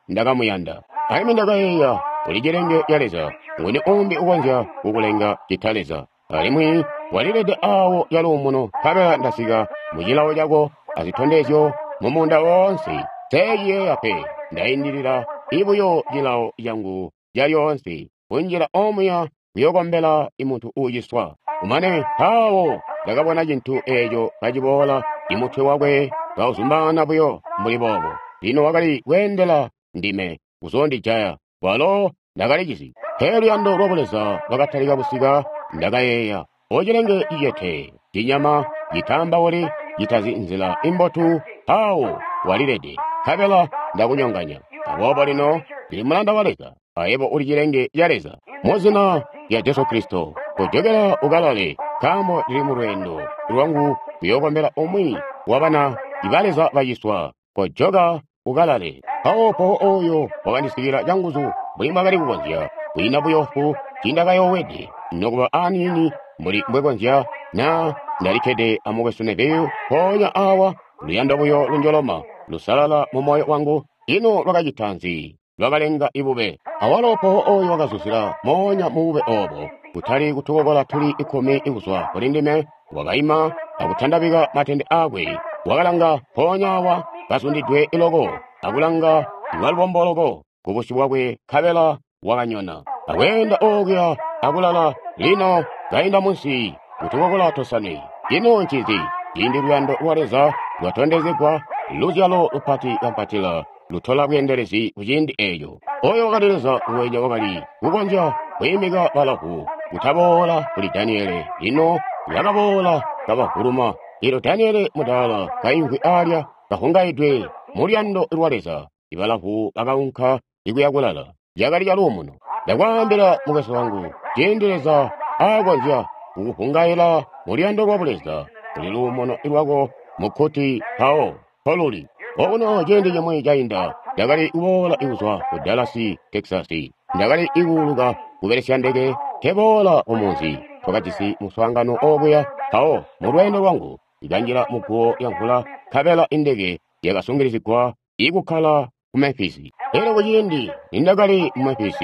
ndakamuyanda. Alimwi ndakayeeya, uli cilenge ca Leza, nguni umbi ukonzya kukulenga cita Leza? Alimwi walilede awo caluumuno, nkabela ndasika mu cilawo cako azitondezyo mu muunda woonse. Nseeciyeeya pe, ndaindilila ibuyo cilawo cangu calyoonse, kunjila omuya kuyokombela imuntu uuciswa. Kumane mpawo ndakabona cintu eco kaciboola, imutwe wakwe kauzumbaana buyo mbuli boobo. Lino wakali kweendela ndime kuzoondijaya, walo ndakalicisi. Pele luyando lwa Buleza lwakatalika kusika. Ndakayeeya, ocilenge cicete, cinyama citaambauli, citazi nzila imbotu, mpawo walilede, nkabela ndakunyonganya. Aboobo lino ndili mulanda wa Leza, ayebo uli cilenge ca Leza. Mu zina lya Jesu Kristo, kojokela ukalale, nkaambo ndili mu lweendo lwangu kuyookombela umwi wa bana ba Leza baciswa. Kojoka ukalale. Mpawo poho oyo wakandisikila canguzu mbuli mbwakali kukonzya, kwiina buyofu tiindakayoowede nokuba aniini mbuli mbwekonzya na ndalikkede a Mukwesu Neville mpoonya awa, luyando buyo lunjoloma lusalala mu moyo wangu. Ino lwakacita nzi? Lwakalenga ibube. Awalo poho oyo wakazuzila moonya mu bube obo, kutali kutukokola tuli 10 kuzwa kuli ndime, wakaima akutandabika matende aakwe, wakalanga mpoonya awa kazundidwe loko, akulanga lwalubombo loko kubusyu bwakwe, nkabela wakanyona akweenda okuya akulala. Lino kainda munsi kutukokola tosane. Ino ncinzi? Ciindi luyando lwa Leza lwatondezegwa, luzyalo lupati kampatila lutola bweendelezi ku ciindi eco. Oyo wakali Leza uwenya wakali kukonzya kwiimika balavu kutaboola kuli Daniele. Lino Bakaboola kabavuluma. Elyo Daniele mudaala kaimvwi alya kahungaidwe mu luyando lwa Leza. Ibalavu bakaunka ikuya kulala. Cakali caluumuno. Ndakwaambila mukwesu wangu, ciindi Leza aakonzya kukuhungaila mu luyando lwa Buleza, kuli luumuno lwako mukkuti mpawo mpoluli. Okuno ciindi cimwi cainda, ndakali kuboola kuzwa ku Dallas, Texas. Ndakali kuuluka kubelesya ndeke nkeboola kumunzi. Twakajisi muswaangano obuya mpawo mu lweendo lwangu ikanjila muguwo lya mvula nkabela indeke yakasungilizigwa ikukkala ku Memphis. Elyo kuciindi nindakali mu Memphis,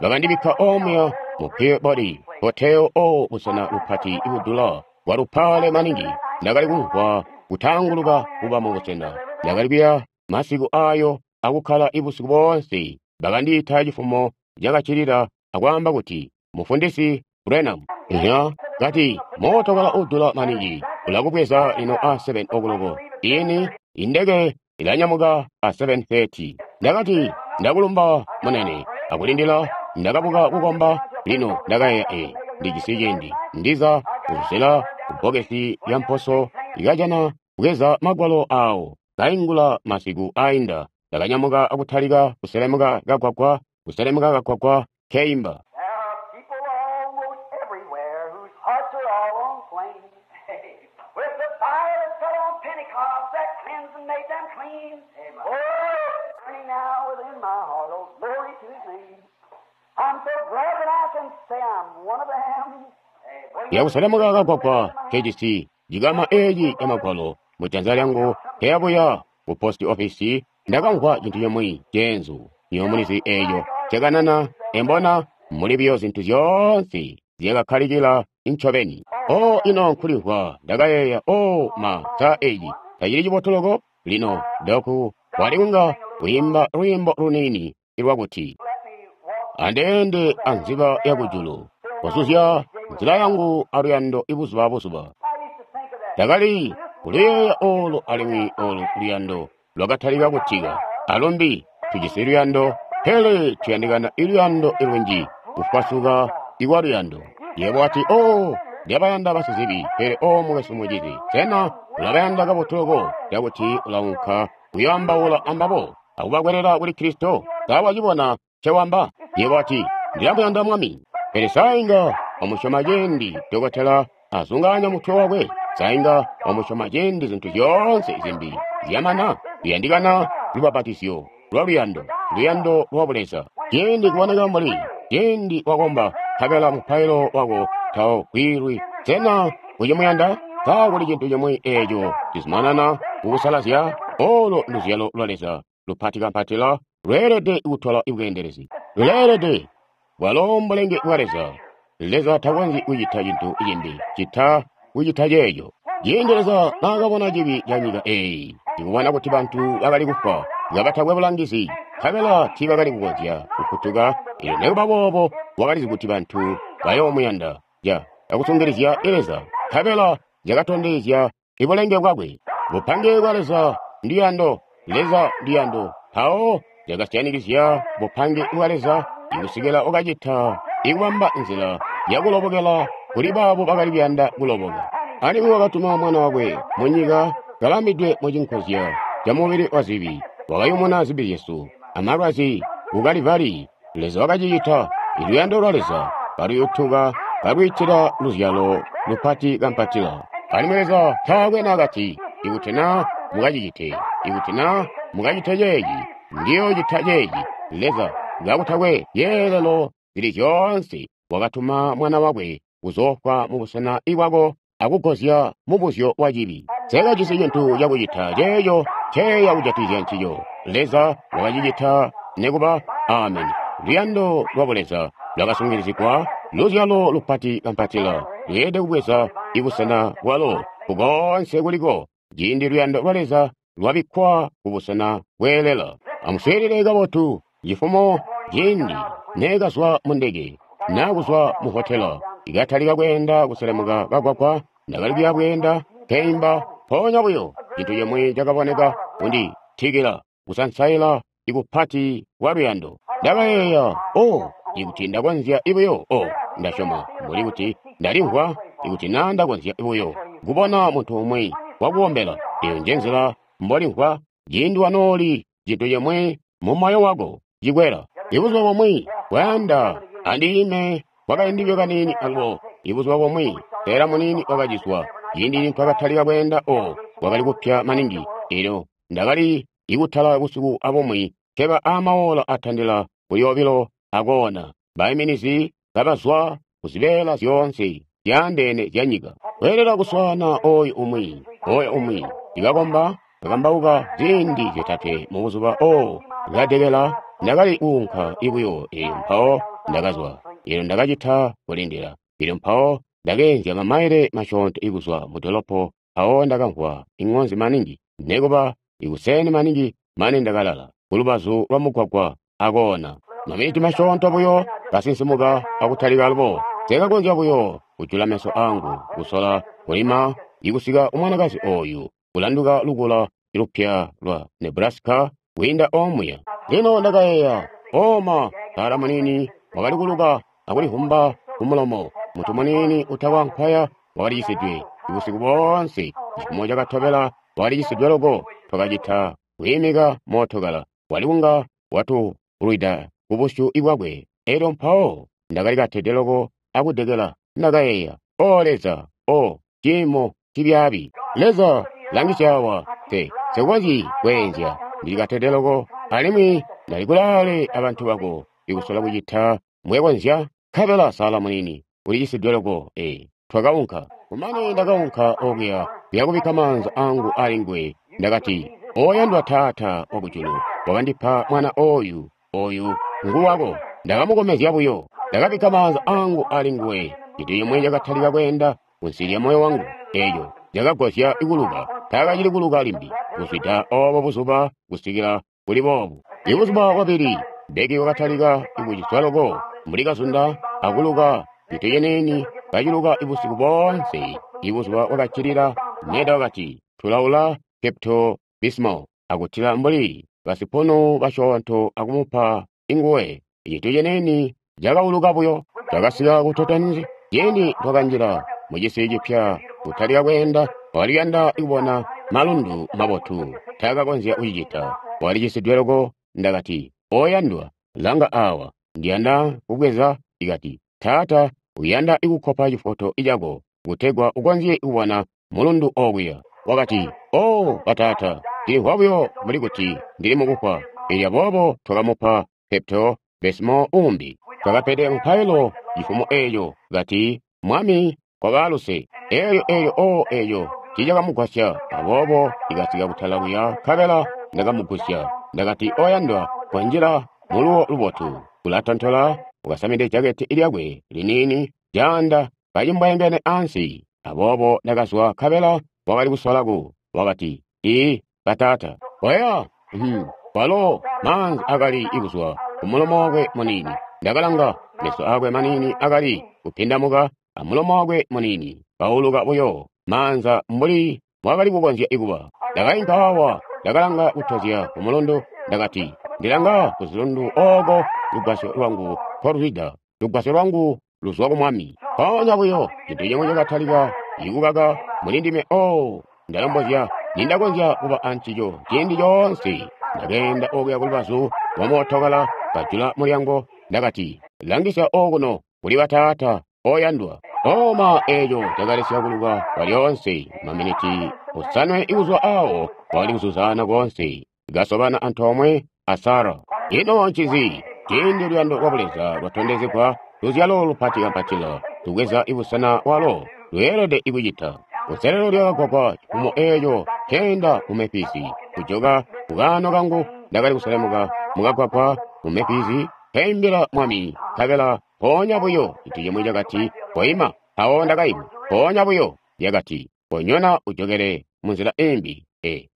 bakandibikka omuya mu Peabody Hotel o busena bupati budula bwalupale maningi. Ndakali kumvwa kutaanguluka kuba mu busena. Ndakali kuya masiku ayo akukkala ibusiku boonse. Bakandiita cifumo cakaccilila akwaamba kuti, Mufundisi Branham, iya, kati mootokala udula maningi ulakubweza lino a 7 o'clock. Ini indeke ilanyamuka a 7:30. Ndakati ndakulumba munene akulindila. Ndakabuka kukomba. Lino ndakayeeya, ndijisi ciindi ndiza kuzela kubbokesi lya mposo ikajana kubweza magwalo awo kaingula masiku ainda. Ndakanyamuka akutalika kuselemuka kagwagwa, kuselemuka kagwagwa keimba. There are people almost everywhere whose hearts are all on flame. With the fire that fell on Pentecost that cleansed and made them clean. Oh, it's burning now within my heart. Oh, glory to His name. I'm so glad that I can say I'm one of them. Yakuselemuka kagwagwa kejisi jikama eeci ya magwalo mujanza lyangu keyabuya ku post office. Ndakamvwa cintu cimwi ceenzu nyomulizi eeco cakanana embona muli buyo zintu zyoonse zyakakkalikila ncobeni. O ino nkulimvwa ndakayeeya, o ma sa eeci tacili cibotu loko. Lino doku wali kunga kuyimba lwiimbo luniini lwakuti andeende anziba yakujulu kuzuzya nzila yangu aluyando ibuzuba abuzuba. I used to think of that. Ndakali kuluyeeya olu alimwi olu luyando lwakatalika kutika. Alumbi tujisi luyando, pele tuyandikana iluyando ilunji kufwasuka ikwa luyando. Yebo wati, o ndyabayanda basizibi, pele o mukwesu mucizi, sena ulabayanda kabotu loko cakuti ulaunka kuyoambaula ambabo akubakwelela kuli Kristo? Sa wacibona ncewamba? Yebo wati, ndilamuyanda Mwami. Pele sainga wamusyoma ciindi dokotela azungaanya mutwe wakwe. Sainga wamusyoma ciindi zintu zyoonse zimbi zyamana. Luyandikana lubapatizyo lwa luyando, luyando lwa Buleza. Ciindi kuboneka mbuli ciindi wakomba nkabela mupailo wako tawugwilwi, sena ucimuyanda? Sa kuli cintu cimwi eeco cizumanana kukusalazya? Olo luzyalo lwa Leza lupati kampatila lweelede kutola ibweendelezi, luleelede bwalo mbulenge bwa Leza. Leza takonzyi kucita cintu cimbi cita kucita ceeco. Ciindi Leza naakabona cibi ca nyika eeyi, ikubona kuti bantu bakali kufwa kabatakwe bulangizi, nkabela tiibakali kukonzya kufutuka, elyo nikuba boobo wakalizi kuti bantu bayoomuyanda ja akusungilizya Leza, nkabela zyakatondezya ibulenge bwakwe. Bupange bwa Leza nduyando, Leza nduyando. Mpawo zyakasyanikizya bupange bwa Leza ikusikila wakacita ikubamba nzila yakulobokela kuli baabo bakali kuyanda kuloboka. Alimwi wakatuma mwana wakwe munyika kalamidwe mucinkozya ca mubili wa zibi, wakayumuna zibi zyesu amalwazi ku Kalivari. Leza wakacicita. Iluyando lwa Leza kaluyutuka kalwiitila luzyalo lupati kampatila. Alimwi Leza taakwe naakati, ikuti naa mukacicite, ikuti naa mukacite ceeci, ndiyoocita ceeci. Leza kakutakwe yeelelo zili zyoonse wakatuma mwana wakwe kuzoofwa mubusena bwako akugozya mubuzyo wa cibi. Sekajisi cintu cakucita ceeco nceya kujatikizya ncico. Leza wakacicita nikuba. Ameni. Luyando lwa Buleza lwakasungilizigwa, luzyalo lupati kampatila lweelede kubweza ibusena bwalo kukoonse kuliko ciindi luyando lwa Leza lwabikkwa kubusena bweelela. Amuswiilile kabotu cifumo ciindi neekazwa mu ndeke naa kuzwa mu hotela, ikatalika kweenda kuselemuka kagwagwa. Ndakali kuya bweenda keimba, mpoonya buyo cintu cimwi cakaboneka kunditikila kusansaila ikupati kwa luyando. Ndakayeeya, o ikuti ndakonzya ibuyo, o ndasyoma mbuli kuti ndalimvwa Ikuti na Nda konzya buyo kubona muntu umwi wakukombela. Eyo nje nzila mbolimvwa ciindi wanooli cintu cimwi mu moyo wako cikwela. Ibuzuba bumwi kwayanda andiime kwakaindi kaniini alubo. Ibuzuba bumwi Sarah muniini wakaciswa. Ciindi nitwakatalika kweenda kwakali kupya maningi. Elyo ndakali ikutala busiku abumwi keba amaola atandila kuli 2 akoona. Baiminizi kabazwa kuzibeela zyoonse zyaandeene zya nyika. Kweelela kuswaana oyu umwi, oyo umwi. Ndikakomba, kakambauka ziindi 3 mu buzuba kadekela ndakali kuunka ibuyo. Elyo mpawo ndakazwa. Elyo ndakacita kulindila. Elyo mpawo ndakeenzya mamaile masyoonto ikuzwa mu dolopo. Mpawo ndakamvwa ing'onzi maningi, nekuba ikuseni maningi mane ndakalala kulubazu lwa mugwagwa akoona. Maminiti masyoonto buyo kasinsimuka akutalika alubo. Sekakonzya buyo kujula meso angu kusola kulima ikusika umwanakazi oyu kulanduka lukula lupya lwa Nebraska kwiinda omuya. Lino ndakayeeya, oma Sara munini wakali kuluka akulivumba kumulomo. Muntu munini utakwa nkwaya wakalicisidwe ubusiku boonse. Cifumo cakatobela wakalicisidwe loko. Twakacita kwiimika mootokala wali kunga watulwida kubusyu bwakwe. Elyo mpawo ndakali katede loko akudekela. Ndakayeeya, O Leza, o ciimo cibyaabi. Leza, langisya awa, nsikonzyi kweenzya. Ndili katede loko alimwi ndali kulaale abantu bako ikusola kucita mbwekonzya. Nkabela Sara munini ulicisidwe loko. Twakaunka. Kumane ndakaunka okuya kuyakubikka maanza angu ali nguwe. Ndakati, Oyandwa Taata wakujulu, wakandipa mwana oyu, oyu nguwako. Ndakamukomezya buyo. Ndakabikka maanza angu ali nguwe. Cintu cimwi cakatalika kweenda kunsi lya moyo wangu. Eeco cakagwasya kuluka. Taakacili kuluka limbi kuzwida obo buzuba kusikila kuli boobu. Ibuzuba bwabili, Becky wakatalika kuciswa loko mbuli kazunda akuluka cintu ciniini kaciluka busiku boonse. Ibuzuba bwakaccilila, Meda wakati, tulaula Pepto Bismol akutila mbuli basipunu basyoonto akumupa inguwe. Cintu ciniini cakauluka buyo. Twakasika ku Toton's ciindi twakanjila mucisi cipya kutalika kweenda. Wakali kuyanda kubona malundu mabotu, taakakonzya kucicita. Walicisidwe loko. Ndakati, Oyandwa, langa awa, ndiyanda kubweza. Ikati, Taata, uyanda kukkopa cifoto cako kutegwa ukonzye kubona mulundu okuya. Wakati, O bataata, ndilimvwa buyo mbuli kuti ndili mukufwa. Elyo aboobo twakamupa Pepto Bismol uumbi. Twakapede mupailo cifumo eeco, kati, Mwami, koba luse. Elyo eeco tiicakamugwasya. Aboobo ndikasika kutala kuya nkabela ndakamugusya. Ndakati, Oyandwa, konjila muluwo lubotu. Ulatontola, ukasamide jaketi lyakwe liniini, caanda kacimbwayangene ansi. Aboobo ndakazwa nkabela wakali kusola ku. Wakati, Ii, bataata. Oya, walo maanzi akali kuzwa kumulomo wakwe muniini. Ndakalanga, meso akwe maniini akali kupindamuka amulomo wakwe muniini kauluka buyo maanza mbuli mwakali kukonzya kuba. Ndakainka awa, ndakalanga kutozya kumulundu. Ndakati, ndilanga kuzilundu ooko lugwasyo lwangu nkoluzwida. Lugwasyo lwangu luzwa ku Mwami. Mpoonya buyo cintu cimwi cakatalika ikukaka muli ndime. O, ndalombozya nindakonzya kuba ancico ciindi coonse. Ndakeenda okuya kulubazu lwa mootokala, kajula mulyango. Ndakati, langisya okuno kuli bataata oyandwa. Oma eeco cakalesya kuluka kwalyoonse. Maminiti 7 ikuzwa awo wakali kuzuzaana koonse, kasobana antoomwe a Sara. Ino ncinzi? Ciindi luyando lwa Buleza lwatondezegwa, luzyalo lupati kampatila lubweza ibusena walo lweelede kucita. Kunselelo lya kagwagwa cifumo eeco nkeenda mu Memphis, kujoka kukaano kangu ndakali kuselemuka mukagwagwa mu Memphis, nkeimbila Mwami, nkabela mpoonya buyo cintu cimwi cakati, Koima. Mpawo ndakaima. Mpoonya buyo lyakati, Konyona ujokele munzila imbi.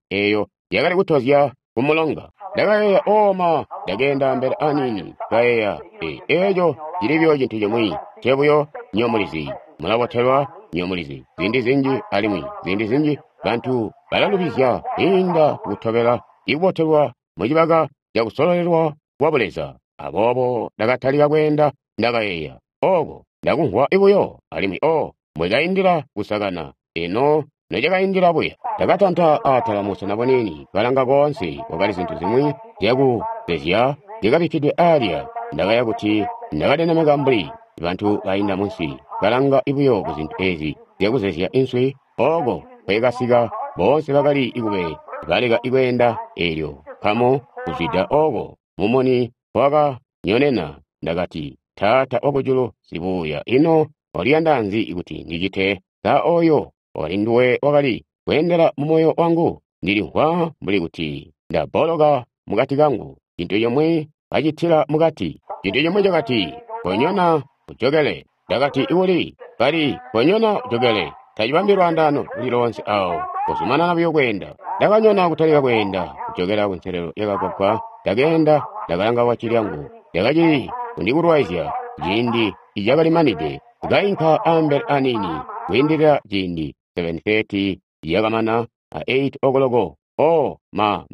Eeyo yakali kutozya kumulonga. Ndakayeeya, oma, ndakeenda mbele aniini. Kayeeya, eeco cili buyo cintu cimwi ncebuyo. Nyomulizi mulabotelwa, nyomulizi ziindi zinji, alimwi ziindi zinji bantu balalubizya kwiinda kutobela ikubotelwa mucibaka cakusololelwa kwa Buleza. Aboobo ndakatalika kweenda. Ndakayeeya, oko ndakumvwa buyo, alimwi o Mbwekaindila kusakana, eno nocakaindila buya. Ndakatanta atala musena buniini, kalanga koonse, kwakali zintu zimwi zyakuzezya zyakabikkidwe alya. Ndakaya kuti ndakalilemeka mbuli bantu bainda munsi, kalanga buyo kuzintu ezi zyakuzezya inswi. Oko kwekasika boonse bakali kube baleka kweenda, eelyo nkamu kuzwida oko mumuni wakanyonena. Ndakati, Taata wakujulu sibuuya, ino waliyanda nzi kuti ndicite? Sa oyo wakali nduwe wakali kweendela mumoyo wangu? Ndilimvwa mbuli kuti ndabboloka mukati kangu. Cintu cimwi kacitila mukati. Cintu cimwi cakati, konyona ujokele. Ndakati, uli kali konyona ujokele. Tacibambi lwaandaano luli loonse awo. Kuzumanana buyo kweenda. Ndakanyona kutalika kweenda kujokela kunselelo yakagwagwa. Ndakeenda, ndakalanga waci lyangu. Lyakacili kundikulwaizya ciindi icakalimanide. Kainka ambele aniini kwiindilila ciindi 7:30 yakamana a 8 okoloko. Oh, ma.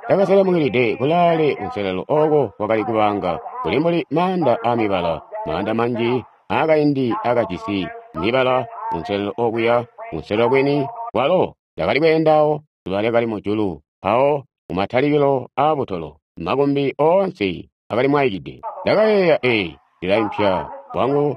Ndakaselemukilide kulaale kunselelo oko kwakali kubanga kuli mbuli maanda amibala, maanda manji aakaindi akajisi mibala kunselelo okuya, kunselelo kwini kwalo ndakali kweendawo. Zuba lyakali mujulu mpawo kumatalikilo aabutolo, makumbi oonse akali mwaikide. Ndakayeeya, ee, ndilaimpya wangu,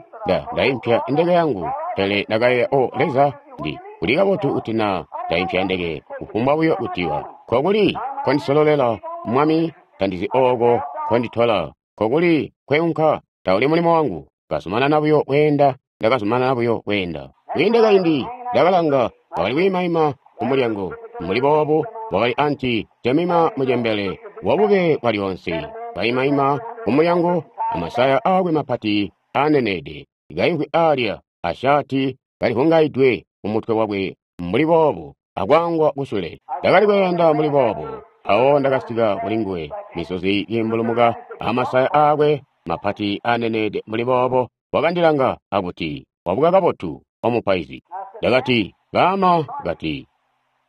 ndaimpya ndeke yangu. Pele ndakayeeya, o Leza, ndi kuli kabotu kuti na ndaimpya ndeke, kufumbwa buyo kutiwa kokuli kondisololela Mwami, tandizi oko konditola, kokuli kweunka, tauli mulimo wangu. Kazumanana buyo kweenda, ndakazumanana buyo kweenda. Kwiinde kaindi ndakalanga, wakali kwiimaima kumulyango. Mbuli boobu wakali anti Jemima mucembele wabube bwalyoonse, kaimaima kumulyango amasaya aakwe mapati aaneneede, kaimvwi alya ashaati kalivungaidwe kumutwe wakwe mbuli boobu, akwaangwa kusule. Ndakali kweenda mbuli boobu. Mpawo ndakasika kulinguwe, misozi kiimbulumuka amasaya aakwe mapati aaneneede mbuli boobo. Wakandilanga akuti, wabuka kabotu, omupaizi. Ndakati, baama. Kati,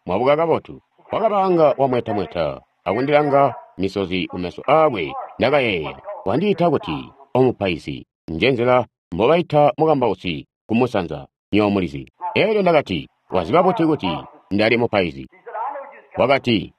mwabuka kabotu. Wakabanga wamwetamweta akundilanga, misozi kumeso aakwe. Ndakayeeya, wandiita kuti omupaizi, njenzela mbobaita mukambausi kumusanza, nyomulizi. Eelyo ndakati, waziba buti kuti ndali mupaizi? Wakati,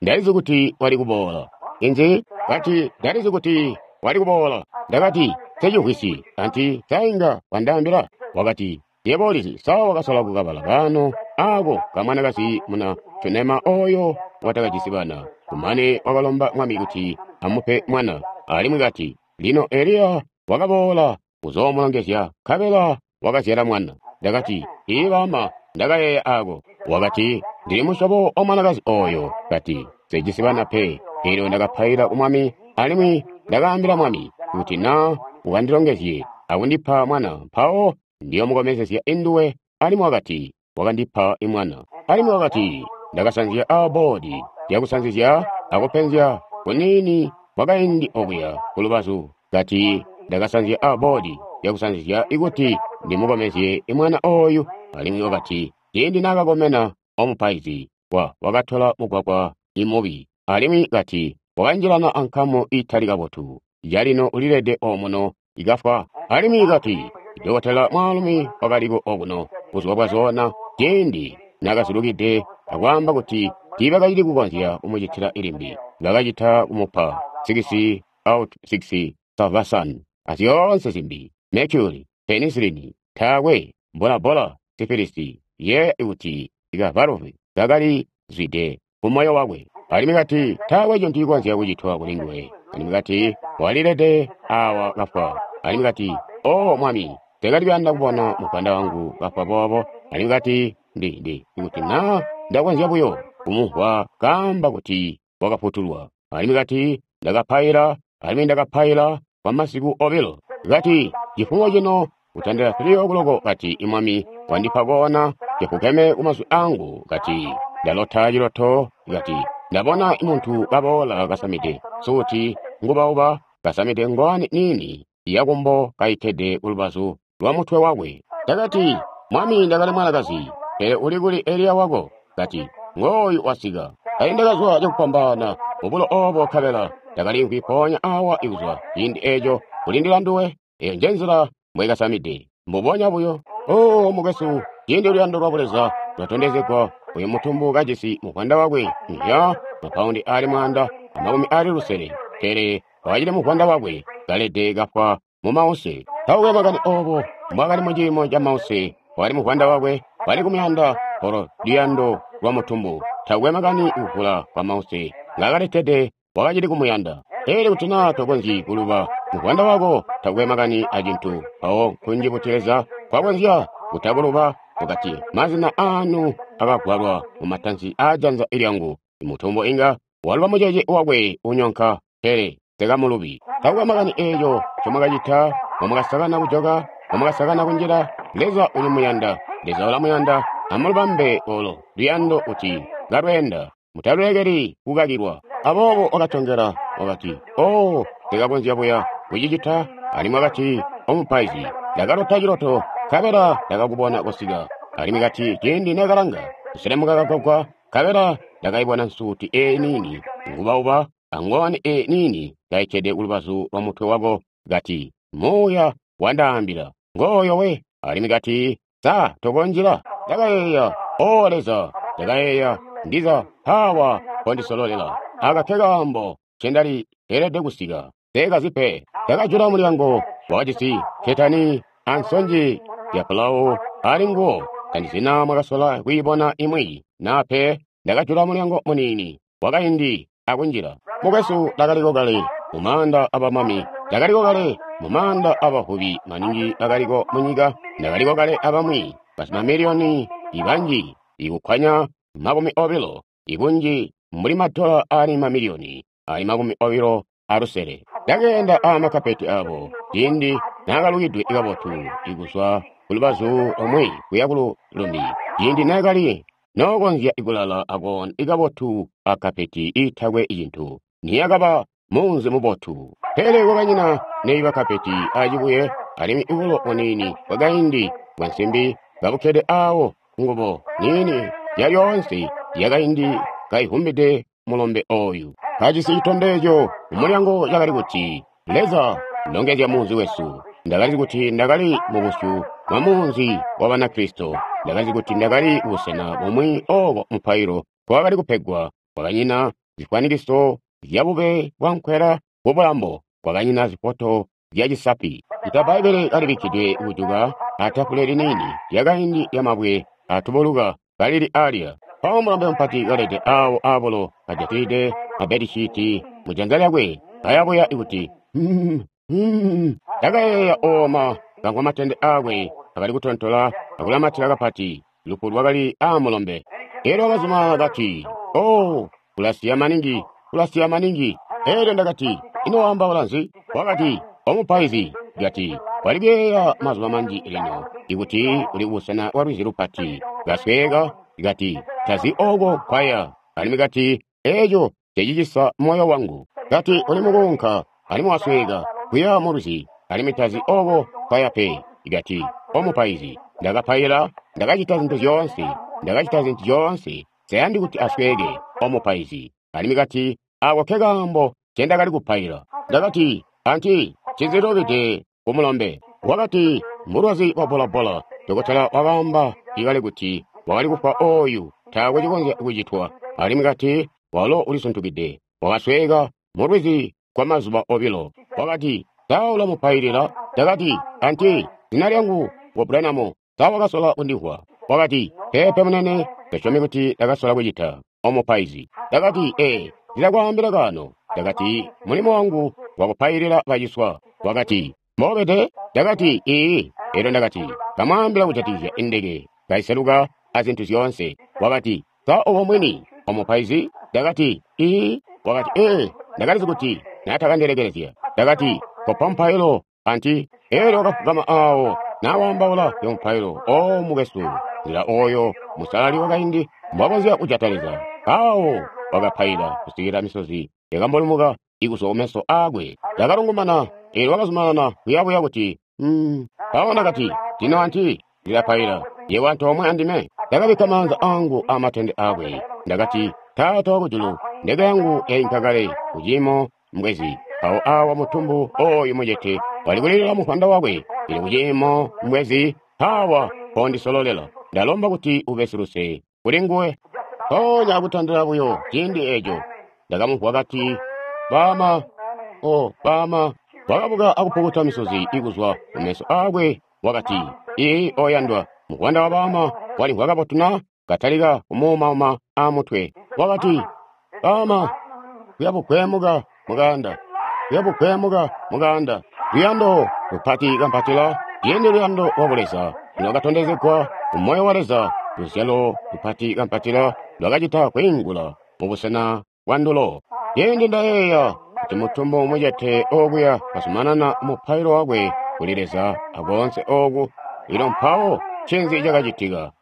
ndalizi kuti wali kuboola. Inzi? Kati, ndalizi kuti wali kuboola. Ndakati, secivwisi, anti sainga wandaambila. Wakati, yebo ulizi, sa wakasola kukabala kaano ako kamwanakazi muna Shunema oyo watakajisi bana. Kumane wakalomba mwami kuti amupe mwana. Alimwi kati, lino Eliya wakaboola kuzoomulongezya, nkabela wakazyala mwana. Ndakati, ii baama, ndakayeeya ako. Wakati, ndili musyobo wa mwanakazi oyo. Kati, sejisi bana pe. Elyo ndakapaila ku mwami, alimwi ndakaambila mwami kuti na ukandilongezye akundipa mwana, mpawo ndiyomukomezezya induwe. Alimwi wakati, wakandipa imwana. Alimwi wakati, ndakasanzya aboodi lyakusanzizya akupenzya kuniini kwakaindi okuya kulubazu. Kati, ndakasanzya aboodi lyakusanzizya ikuti ndimukomezye imwana oyu. Alimwi wakati, ciindi naakakomena omupaizi, wakatola mugwagwa imubi. Alimwi kati, wakanjilana ankamu itali kabotu. Calino ulilede omuno ikafwa. Alimwi kati, dokotela mwaalumi wakaliko okuno buzuba bwazoona, ciindi nakazulukide akwaamba kuti tiibakacili kukonzya kumucitila ilimbi. Bakacita kumupa 6 out 6 salvarsan azyoonse zimbi, mercury, penicillin, taakwe, bolabola, sifilisi, ye kuti ikavaluvi kakali zwide kumoyo wakwe. Alimwi kati, taakwe cintu cikonzya kucitwa kulinguwe. Alimwi kati, walilede awa kafwa. Alimwi kati, o mwami, tekali kuyanda kubona muvwanda wangu kafwa boobo. Alimwi kati, ndi kuti na ndakonzya buyo kumumvwa kaamba kuti wakafutulwa. Alimwi kati, ndakapaila, alimwi ndakapaila kwa masiku obilo. Kati, cifumo cino kutandila 3 o'clock, kati imwami wandipa koona cifukeme kumazwi angu. Kati, ndalota ciloto. Kati, ndabona muntu kaboola kasamide suti ngubauba, kasamide ngwani nini yakumbo kaikkede kulubazu lwa mutwe wakwe. Ndakati, mwami, ndakali mwanakazi, pele uli kuli Eliya wako? Kati, ngooyu wasika. Kali ndakazwa cakupambaana mubulo obo, nkabela ndakalimvwi mpoonya awa ikuzwa ciindi eco kulindila nduwe. Eyo njenzila mbwekasamide, mbubonya buyo. Oh, mukwesu, ciindi luyando lwa Buleza lwatondezegwa, uyu mutumbu kajisi muvwanda wakwe, ya mapaundi ali 160, pele wakacili muvwanda wakwe, kalede kafwa mu mause. Taukwe makani obo mbwakali mu ciimo ca mause, wakali muvwanda wakwe, wali kumuyanda olo luyando lwa mutumbu. Taukwe makani kuvula kwa mause ngakaletede, wakacili kumuyanda. Pele kuti naa tokonzyi kuluba muvwanda wako, takwe makani acintu, mpawo nkunji kuti Leza kwakonzya kutakuluba. Wakati, mazina aanu akagwalwa mu matansi aajanza lyangu. Imutumbu inga waluba mucece wakwe unyonka, pele tekamulubi. Takwe makani eeco ncomwakacita, mbomwakasakana kujoka, mbomwakasakana kunjila, Leza ulimuyanda. Leza ulamuyanda. Amulubambe olo luyando kuti kalweenda, mutalulekeli kukakilwa. Aboobo wakatongela, wakati, oh, ndikakonzya buya kucicita. Alimwi wakati, omupaizi, ndakalota ciloto, nkabela ndakakubona kusika. Alimwi kati, ciindi nekalanga kuselemuka kagwagwa, nkabela ndakaibona nsuuti eyi niini ngubauba angowani eyi niini kaikkede kulubazu lwa mutwe wako. Kati, muuya wandaambila, ngooyo we. Alimwi kati, sa tokonjila? Ndakayeeya, o Leza, ndakayeeya, ndiza hawa kondisololela. Aka ke kaambo ncendali elede kusika. Sekazi pe. Ndakajula mulyango, wakajisi ketani ansonje ya pulawu ali nguwo. Tandizina mwakasola kwiibona imwi naa pe. Ndakajula mulyango muniini wakaindi akunjila. Mukwesu, ndakaliko kale mu maanda abamami, ndakaliko kale mu maanda abavubi maningi bakaliko munyika, ndakaliko kale abamwi basimamiliyoni ibanji ikukkwanya 20, ibunji mbuli madola ali mamiliyoni ali 26. Ndakeenda aamakapeti abo ciindi naakalukidwe kabotu ikuzwa kulubazu lumwi kuya kulumbi, ciindi naakali nookonzya kulala akoona kabotu akapeti iitakwe cintu, niyakaba munzi mubotu. Pele kwakanyina neiba kapeti acibuye, alimwi bulo buniini bwakaindi bwa nsimbi kabukkede aawo, ngubo niini yalyoonse yakaindi kaivumbide mulombe oyu. Kajisi citondezyo mumulyango cakali kuti, Leza, longezya munzi wesu. Ndakalizi kuti ndakali mubusyu bwa munzi wa Banakristo. Ndakalizi kuti ndakali busena bumwi ooko mupailo kwakali kupegwa. Kwakanyina zifwanikiso zyabube bwankwela bubulambo, kwakanyina zifoto zyacisapi. Ita Bbaibbele kalibikkidwe kujuka atafule liniini lyakaindi lyamabwe atubuluka kalili alya. Mpawo mulombe mupati kalede aawo aabulo kajatilide mabedishiiti mujanza lyakwe, kayabuya kuti, Ndakayeeya ooma kamvwa matende aakwe akali kutontola akulamatila kapati, lufu lwakali aamulombe. Elyo wakazuma kati, oh, kulasiya maningi, kulasiya maningi. Elyo ndakati, ino waambaula nzi? Wakati, omupaizi, kati, walikuyeeya mazuba manji lino, ikuti uli kubusena bwa lwizi lupati, kasweeka, kati, tazi ooko nkwaya. Alimwi kati, eeco cecicisa moyo wangu. Kati, uli mukuunka, alimwi wasweeka, kuya mu lwizi, alimwi tazi ooko nkwaya pe. Kati, omupaizi, ndakapaila, ndakacita zintu zyoonse, ndakacita zintu zyoonse, nseyandi kuti asweeke, omupaizi. Alimwi kati, ako ke kaambo ncendakali kupaila. Ndakati, anti, ncinzilubide kumulombe? Wakati, mbulwazi bwa bolabola. Dokotela wakaamba ikale kuti wakali kufwa oyu, taakwe cikonzya kucitwa. Alimwi kati, walo ulisuntukide, wakasweeka mu lwizi kwa mazuba obilo. Wakati, sa ulamupailila? Ndakati, anti, zina lyangu ngu Branham, sa wakasola kundimvwa? Wakati, peepe munene, tasyomi kuti ndakasola kucita, omupaizi. Ndakati, ee, ndilakwaambila kaano. Ndakati, mulimo wangu wakupailila baciswa. Wakati, mbobede? Ndakati, ii. Elyo ndakati, kamwaambila kujatikizya indeke kaiseluka azintu zyoonse. Wakati, sa obo mwini, omupaizi? Ndakati, ii. Wakati, ee, ndakalizi kuti naatakandilekelezya. Ndakati, kopa mupailo, anti. Elyo wakafugama aawo nawaambaula zya mupailo. O mukwesu, nzila oyo musalali wakaindi mbwakonzya kujata Leza. Aawo wakapaila kusikila misozi yakambulumuka ikuzwa kumeso aakwe. Ndakalungumana, elyo wakazumanana kuyabuya kuti, Mpawo ndakati, lino anti, ndilapaila, yebo antoomwe andime. Ndakabikka maanza angu aamatende aakwe. Ndakati, Taata wakujulu, ndeke yangu yainka kale kuciimo mbwezi. Mpawo awa mutumbu oyu mucete wali kulilila mufwanda wakwe, ili kuciimo mbwezi. Mpaawa kondisololela. Ndalomba kuti ube siluse kuli nguwe. Mpoonya akutandila buyo ciindi eeco, ndakamumvwa kati, Baama, o baama. Wakabuka akupukuta misozi ikuzwa kumeso aakwe, wakati, Ii, oyandwa, muvwanda wa baama walimvwa kabotu na? Katalika kumuumauma amutwe. Wakati, Baama, kuya bugwemuka mukaanda, kuya bugwemuka mukaanda. Luyando lupati kampatila, ciindi luyando lwa Buleza lwakatondezegwa mu moyo wa Leza, luzyalo lupati kampatila lwakacita kwiingula mubusena bwa ndulo. Ciindi ndayeeya kuti mutumbu mucete okuya kazumanana mupailo wakwe kuli Leza akoonse ooku, lino mpawo ncinzi cakacitika?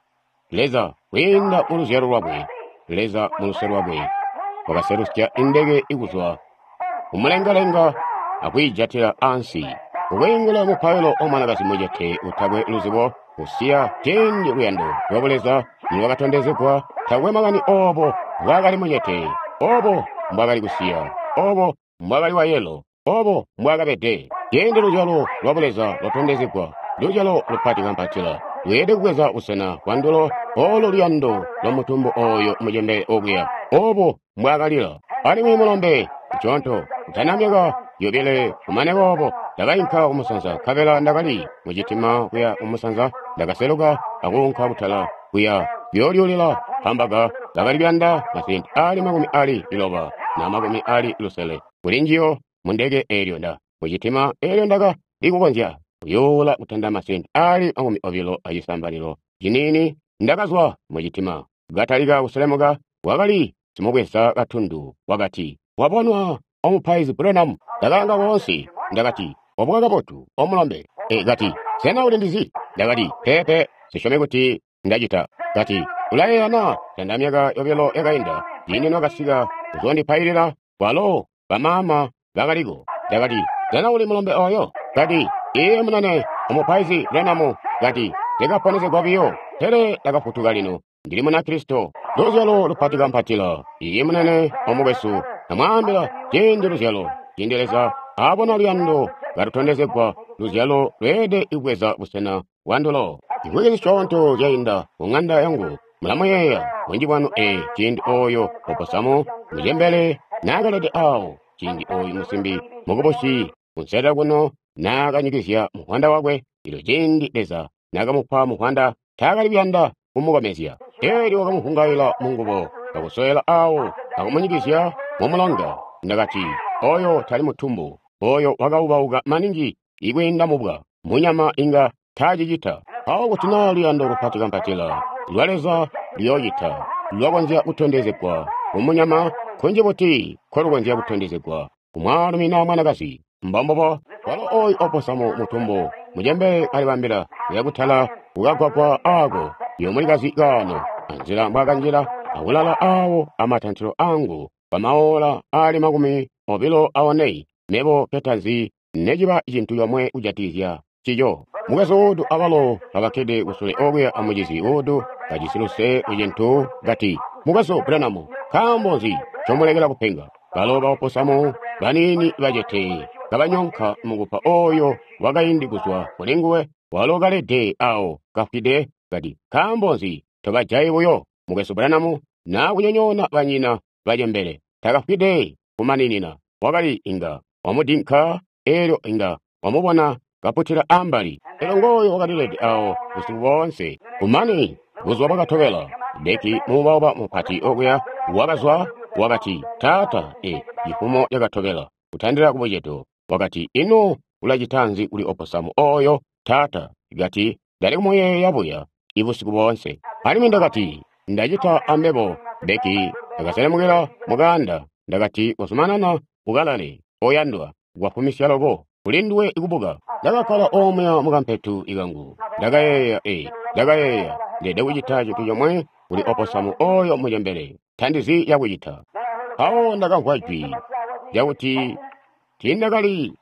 Leza, kwiinda mu luzyalo lwakwe, Leza mu luse lwakwe, wakaselusya indeke ikuzwa kumulengalenga akwiijatila ansi. Kukwiingula mupailo wa mwanakazi mucete utakwe luzibo, kusiya ciindi luyando lwa Buleza nilwakatondezegwa, takwe makani oobo mbwaakali mucete, oobo mbwaakali kusiya, oobo mbwaakali wa yelo, oobo mbwaakabede. Ciindi luzyalo lwa Buleza lwatondezegwa, luzyalo lupati kampatila lweelede kubweza busena bwa ndulo, oolo luyando lwa mutumbu ooyo mucembele okuya, oobo mbwaakalila. Alimwi mulombe musyoonto, kutana myaka yobile kumane boobo, ndakainka kumusanza, nkabela ndakali mucitima kuya kumusanza, ndakaseluka akuunka kutala kuya kuyoolyuulila hambaga, bakali kuyanda masenti aali 60 na 60 kuli njiyo mundeke eelyo nda mucitima eelyo ndaka likukonzya kuyuula kutanda masenti aali 20 acisambalilo ciniini. Ndakazwa mucitima, katalika kuselemuka, wakali simubweza katundu, wakati, Wabonwa omupaizi Branham. Ndakalanga koonse, ndakati, Wabuka kabotu, omulombe. Kati, Sena ulindizi? Ndakati, Peepe, sisyomi kuti ndacita. Kati, Ulayeeya na tanda myaka yobilo yakainda, ciindi nwakasika kuzoondipailila, kwalo bamaama bakaliko. Ndakati, Sena uli mulombe oyo? Kati, Iye munene, omupaizi Branham. Kati, Ndikaponesegwa biyo, pele ndakafutuka lino. Ndili Munakristo. Luzyalo lupati kampatila. Iye munene, omukwesu, namwaambila, ciindi luzyalo, ciindi Leza abona luyando kalutondezegwa, luzyalo lweelede kubweza busena bwa ndulo. Imvwiki zisyoonto zyainda ku ŋanda yangu, mulamuyeeya bunji bwanu ciindi ooyo oposamo mucembele naakalede aawo, ciindi ooyu musimbi mukubusi kunselelo kuno naakanyikizya muvwanda wakwe, elyo ciindi Leza naakamupa muvwanda, taakali kuyanda kumukomezya. Eelyo wakamuvungaila mungubo, akusowela aawo, akumunyikizya mumulonga. Ndakati, Oyo tali mutumbu, oyo wakaubauka maningi ikwiinda mubwa, munyama inga taacicita. Mpawo kuti naa luyando lupati kampatila lwa Leza luyoocita, lwakonzya kutondezegwa kumunyama, kunji buti nkolukonzya kutondezegwa kumwaalumi naa mwanakazi. Mbombubo, walo ooyu oposamo mutumbu mucembele kalibambila kuya kutala kukagwagwa aako yomulikazi kaano, anzila mbwaakanjila akulala aawo amatantilo angu kwamaola aali 24, mebo ketazi neciba cintu comwe kujatikizya cico. Mukwesu Wood abalo kabakkede kusule okuya amucizi Wood kajisi luse kucintu kati, Mukwesu Branham, nkaambo nzi ncomulekela kupenga? Balo baoposamo baniini bacete kabanyonka mukupa ooyo wakaindi kuzwa kulinguwe, walo kalede awo kafwide, kati, Nkaambo nzi tobajayi buyo, Mukwesu Branham, naa kunyonyoona banyina bacembele? Takafwide kumaninina, wakali inga wamudinka, eelyo inga wamubona kaputila ambali. Elyo ngooyo wakalilede awo busiku boonse. Kumane buzuba bwakatobela, Becky muubauba mupati okuya wakazwa, wakati, Taata, cifumo cakatobela, kutandila kubucedo, wakati, Ino ulacita nzi kuli oposamo oyo, taata? Kati, Ndali kumuyeeya buya ibusiku boonse. Alimwi ndakati, Ndacita ambebo. Becky ndakaselemukila mukaanda, ndakati, Kozumanana ukalale, oyandwa, kwafumisya loko kuli nduwe kubuka. Ndakakkala omuya mukampetu ikangu. Ndakayeeya, ndakayeeya, ndeelede kucita cintu comwe kuli oposamo oyo mucembele. Tandizi yakucita. Mpawo ndakamvwa jwi lyakuti tiindakali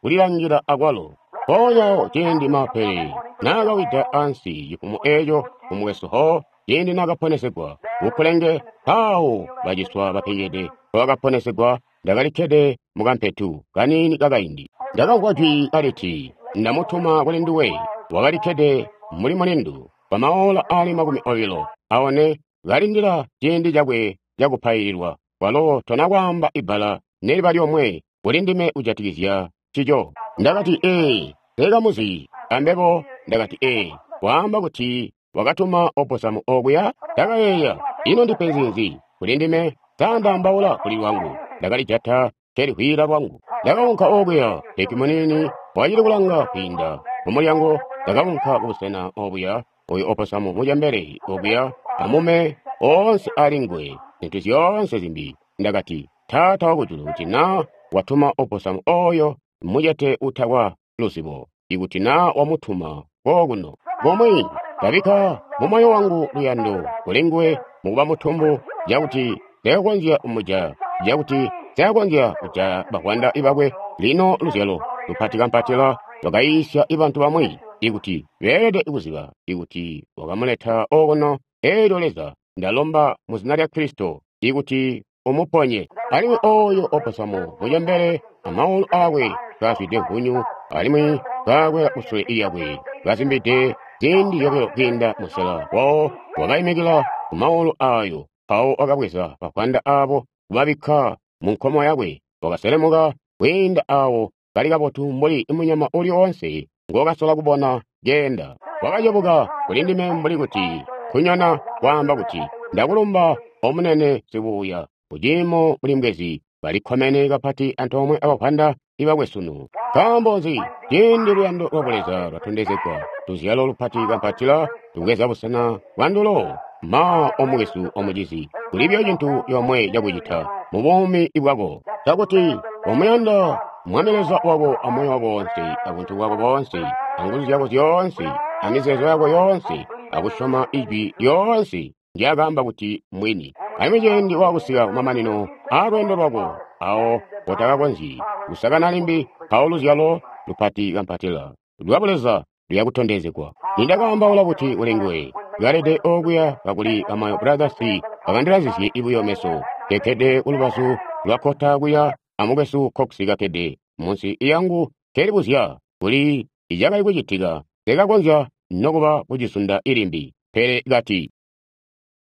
kulilangila akwalo. Mpoonya ciindi mapele naakawida ansi cifumo eeco kumukwesu Hall, ciindi naakaponesegwa kukulenge, mpaawo baciswa bapengede bakaponesegwa, ndakalikkede mukampetu kaniini kakaindi. Ndakamvwa jwi kaliti, Ndamutuma kuli nduwe. Wakali kkede mbuli mulindu kwa maola ali 24, kalindila ciindi cakwe cakupaililwa. Walo tona kwaamba ibbala neliba lyomwe kuli ndime kujatikizya ncico. Ndakati, Ee, nse ambebo. Ndakati, Ee, waamba kuti wakatuma opossamu okuya? Ndakayeeya, ino ndipenzi nzi kuli ndime? Sa ndaambaula kuli lwangu? Ndakalijata nkelihwila lwangu. Ndakaunka okuya, Becky muniini wakacili kulanga kwiinda mu mulyango. Ndakaunka kubusena obuya, oyo opossamu mucembele okuya, amume oonse ali nguwe, zintu zyoonse zimbi. Ndakati, Taata Wakujulu, kuti na watuma opossamu oyo mucete utakwa luzibo, ikuti na wamutuma kokuno, kumwi ndabikka mu moyo wangu luyando kuli nguwe mukuba mutumbu, cakuti Nse kumujaya, cakuti Nse konzya kujaya bavwanda bakwe. Lino luzyalo lupatikampatila lwakayiisya bantu bamwi ikuti beelede kuziba ikuti wakamuleta okuno. Elyo Leza, ndalomba mu zina lya Kristo ikuti umuponye. Alimwi oyo opossamu mucembele amaulu akwe kaazwide mvunyu, alimwi kaakwela kusule lyakwe, kazimbide ziindi zyobilo kwiinda musela wawo, wakaimikila ku maulu ayo, mpawo wakabweza bavwanda abo kubabikka mu nkomo yakwe, wakaselemuka kwiinda awo kali kabotu mbuli munyama uli oonse ngokasola kubona keenda. Wakacebuka kuli ndime mbuli kuti nkunyona kwaamba kuti, Ndakulumba omunene sibuuya, kuciimo mbuli mbwezi balikkomene kapati antoomwe abavwanda bakwe sunu. Nkaambo nzi? Ciindi luyando lwa Buleza lwatondezegwa, luzyalo lupati kampatila lubweza busena bwandulo. Ma, omukwesu omucizi, kuli buyo cintu comwe cakucita mu buumi bwako, cakuti komuyanda Mwami Leza wako amoyo wako woonse, abuntu bwako boonse, anguzu zyako zyoonse, amizeezo yako yoonse, akusyoma Ijwi lyoonse ndyakaamba kuti mbwini. Alimwi ciindi waakusika kumamanino aalweendo lwako, awo mpootakakonzyi kusakana limbi, mpawo luzyalo lupati kampatila lwa Buleza luya kutondezegwa. Nindakaambaula buti kuli nguwe, kalede okuya kakuli ba Mayo Brothers bakandilazizye buyo meso, kekkede kulubazu lwa kkota kuya amukwesu Cox kakkede munsi lyangu nkelibuzya kuli icakali kucitika, nsekakonzya nokuba kucizunda limbi. Pele kati.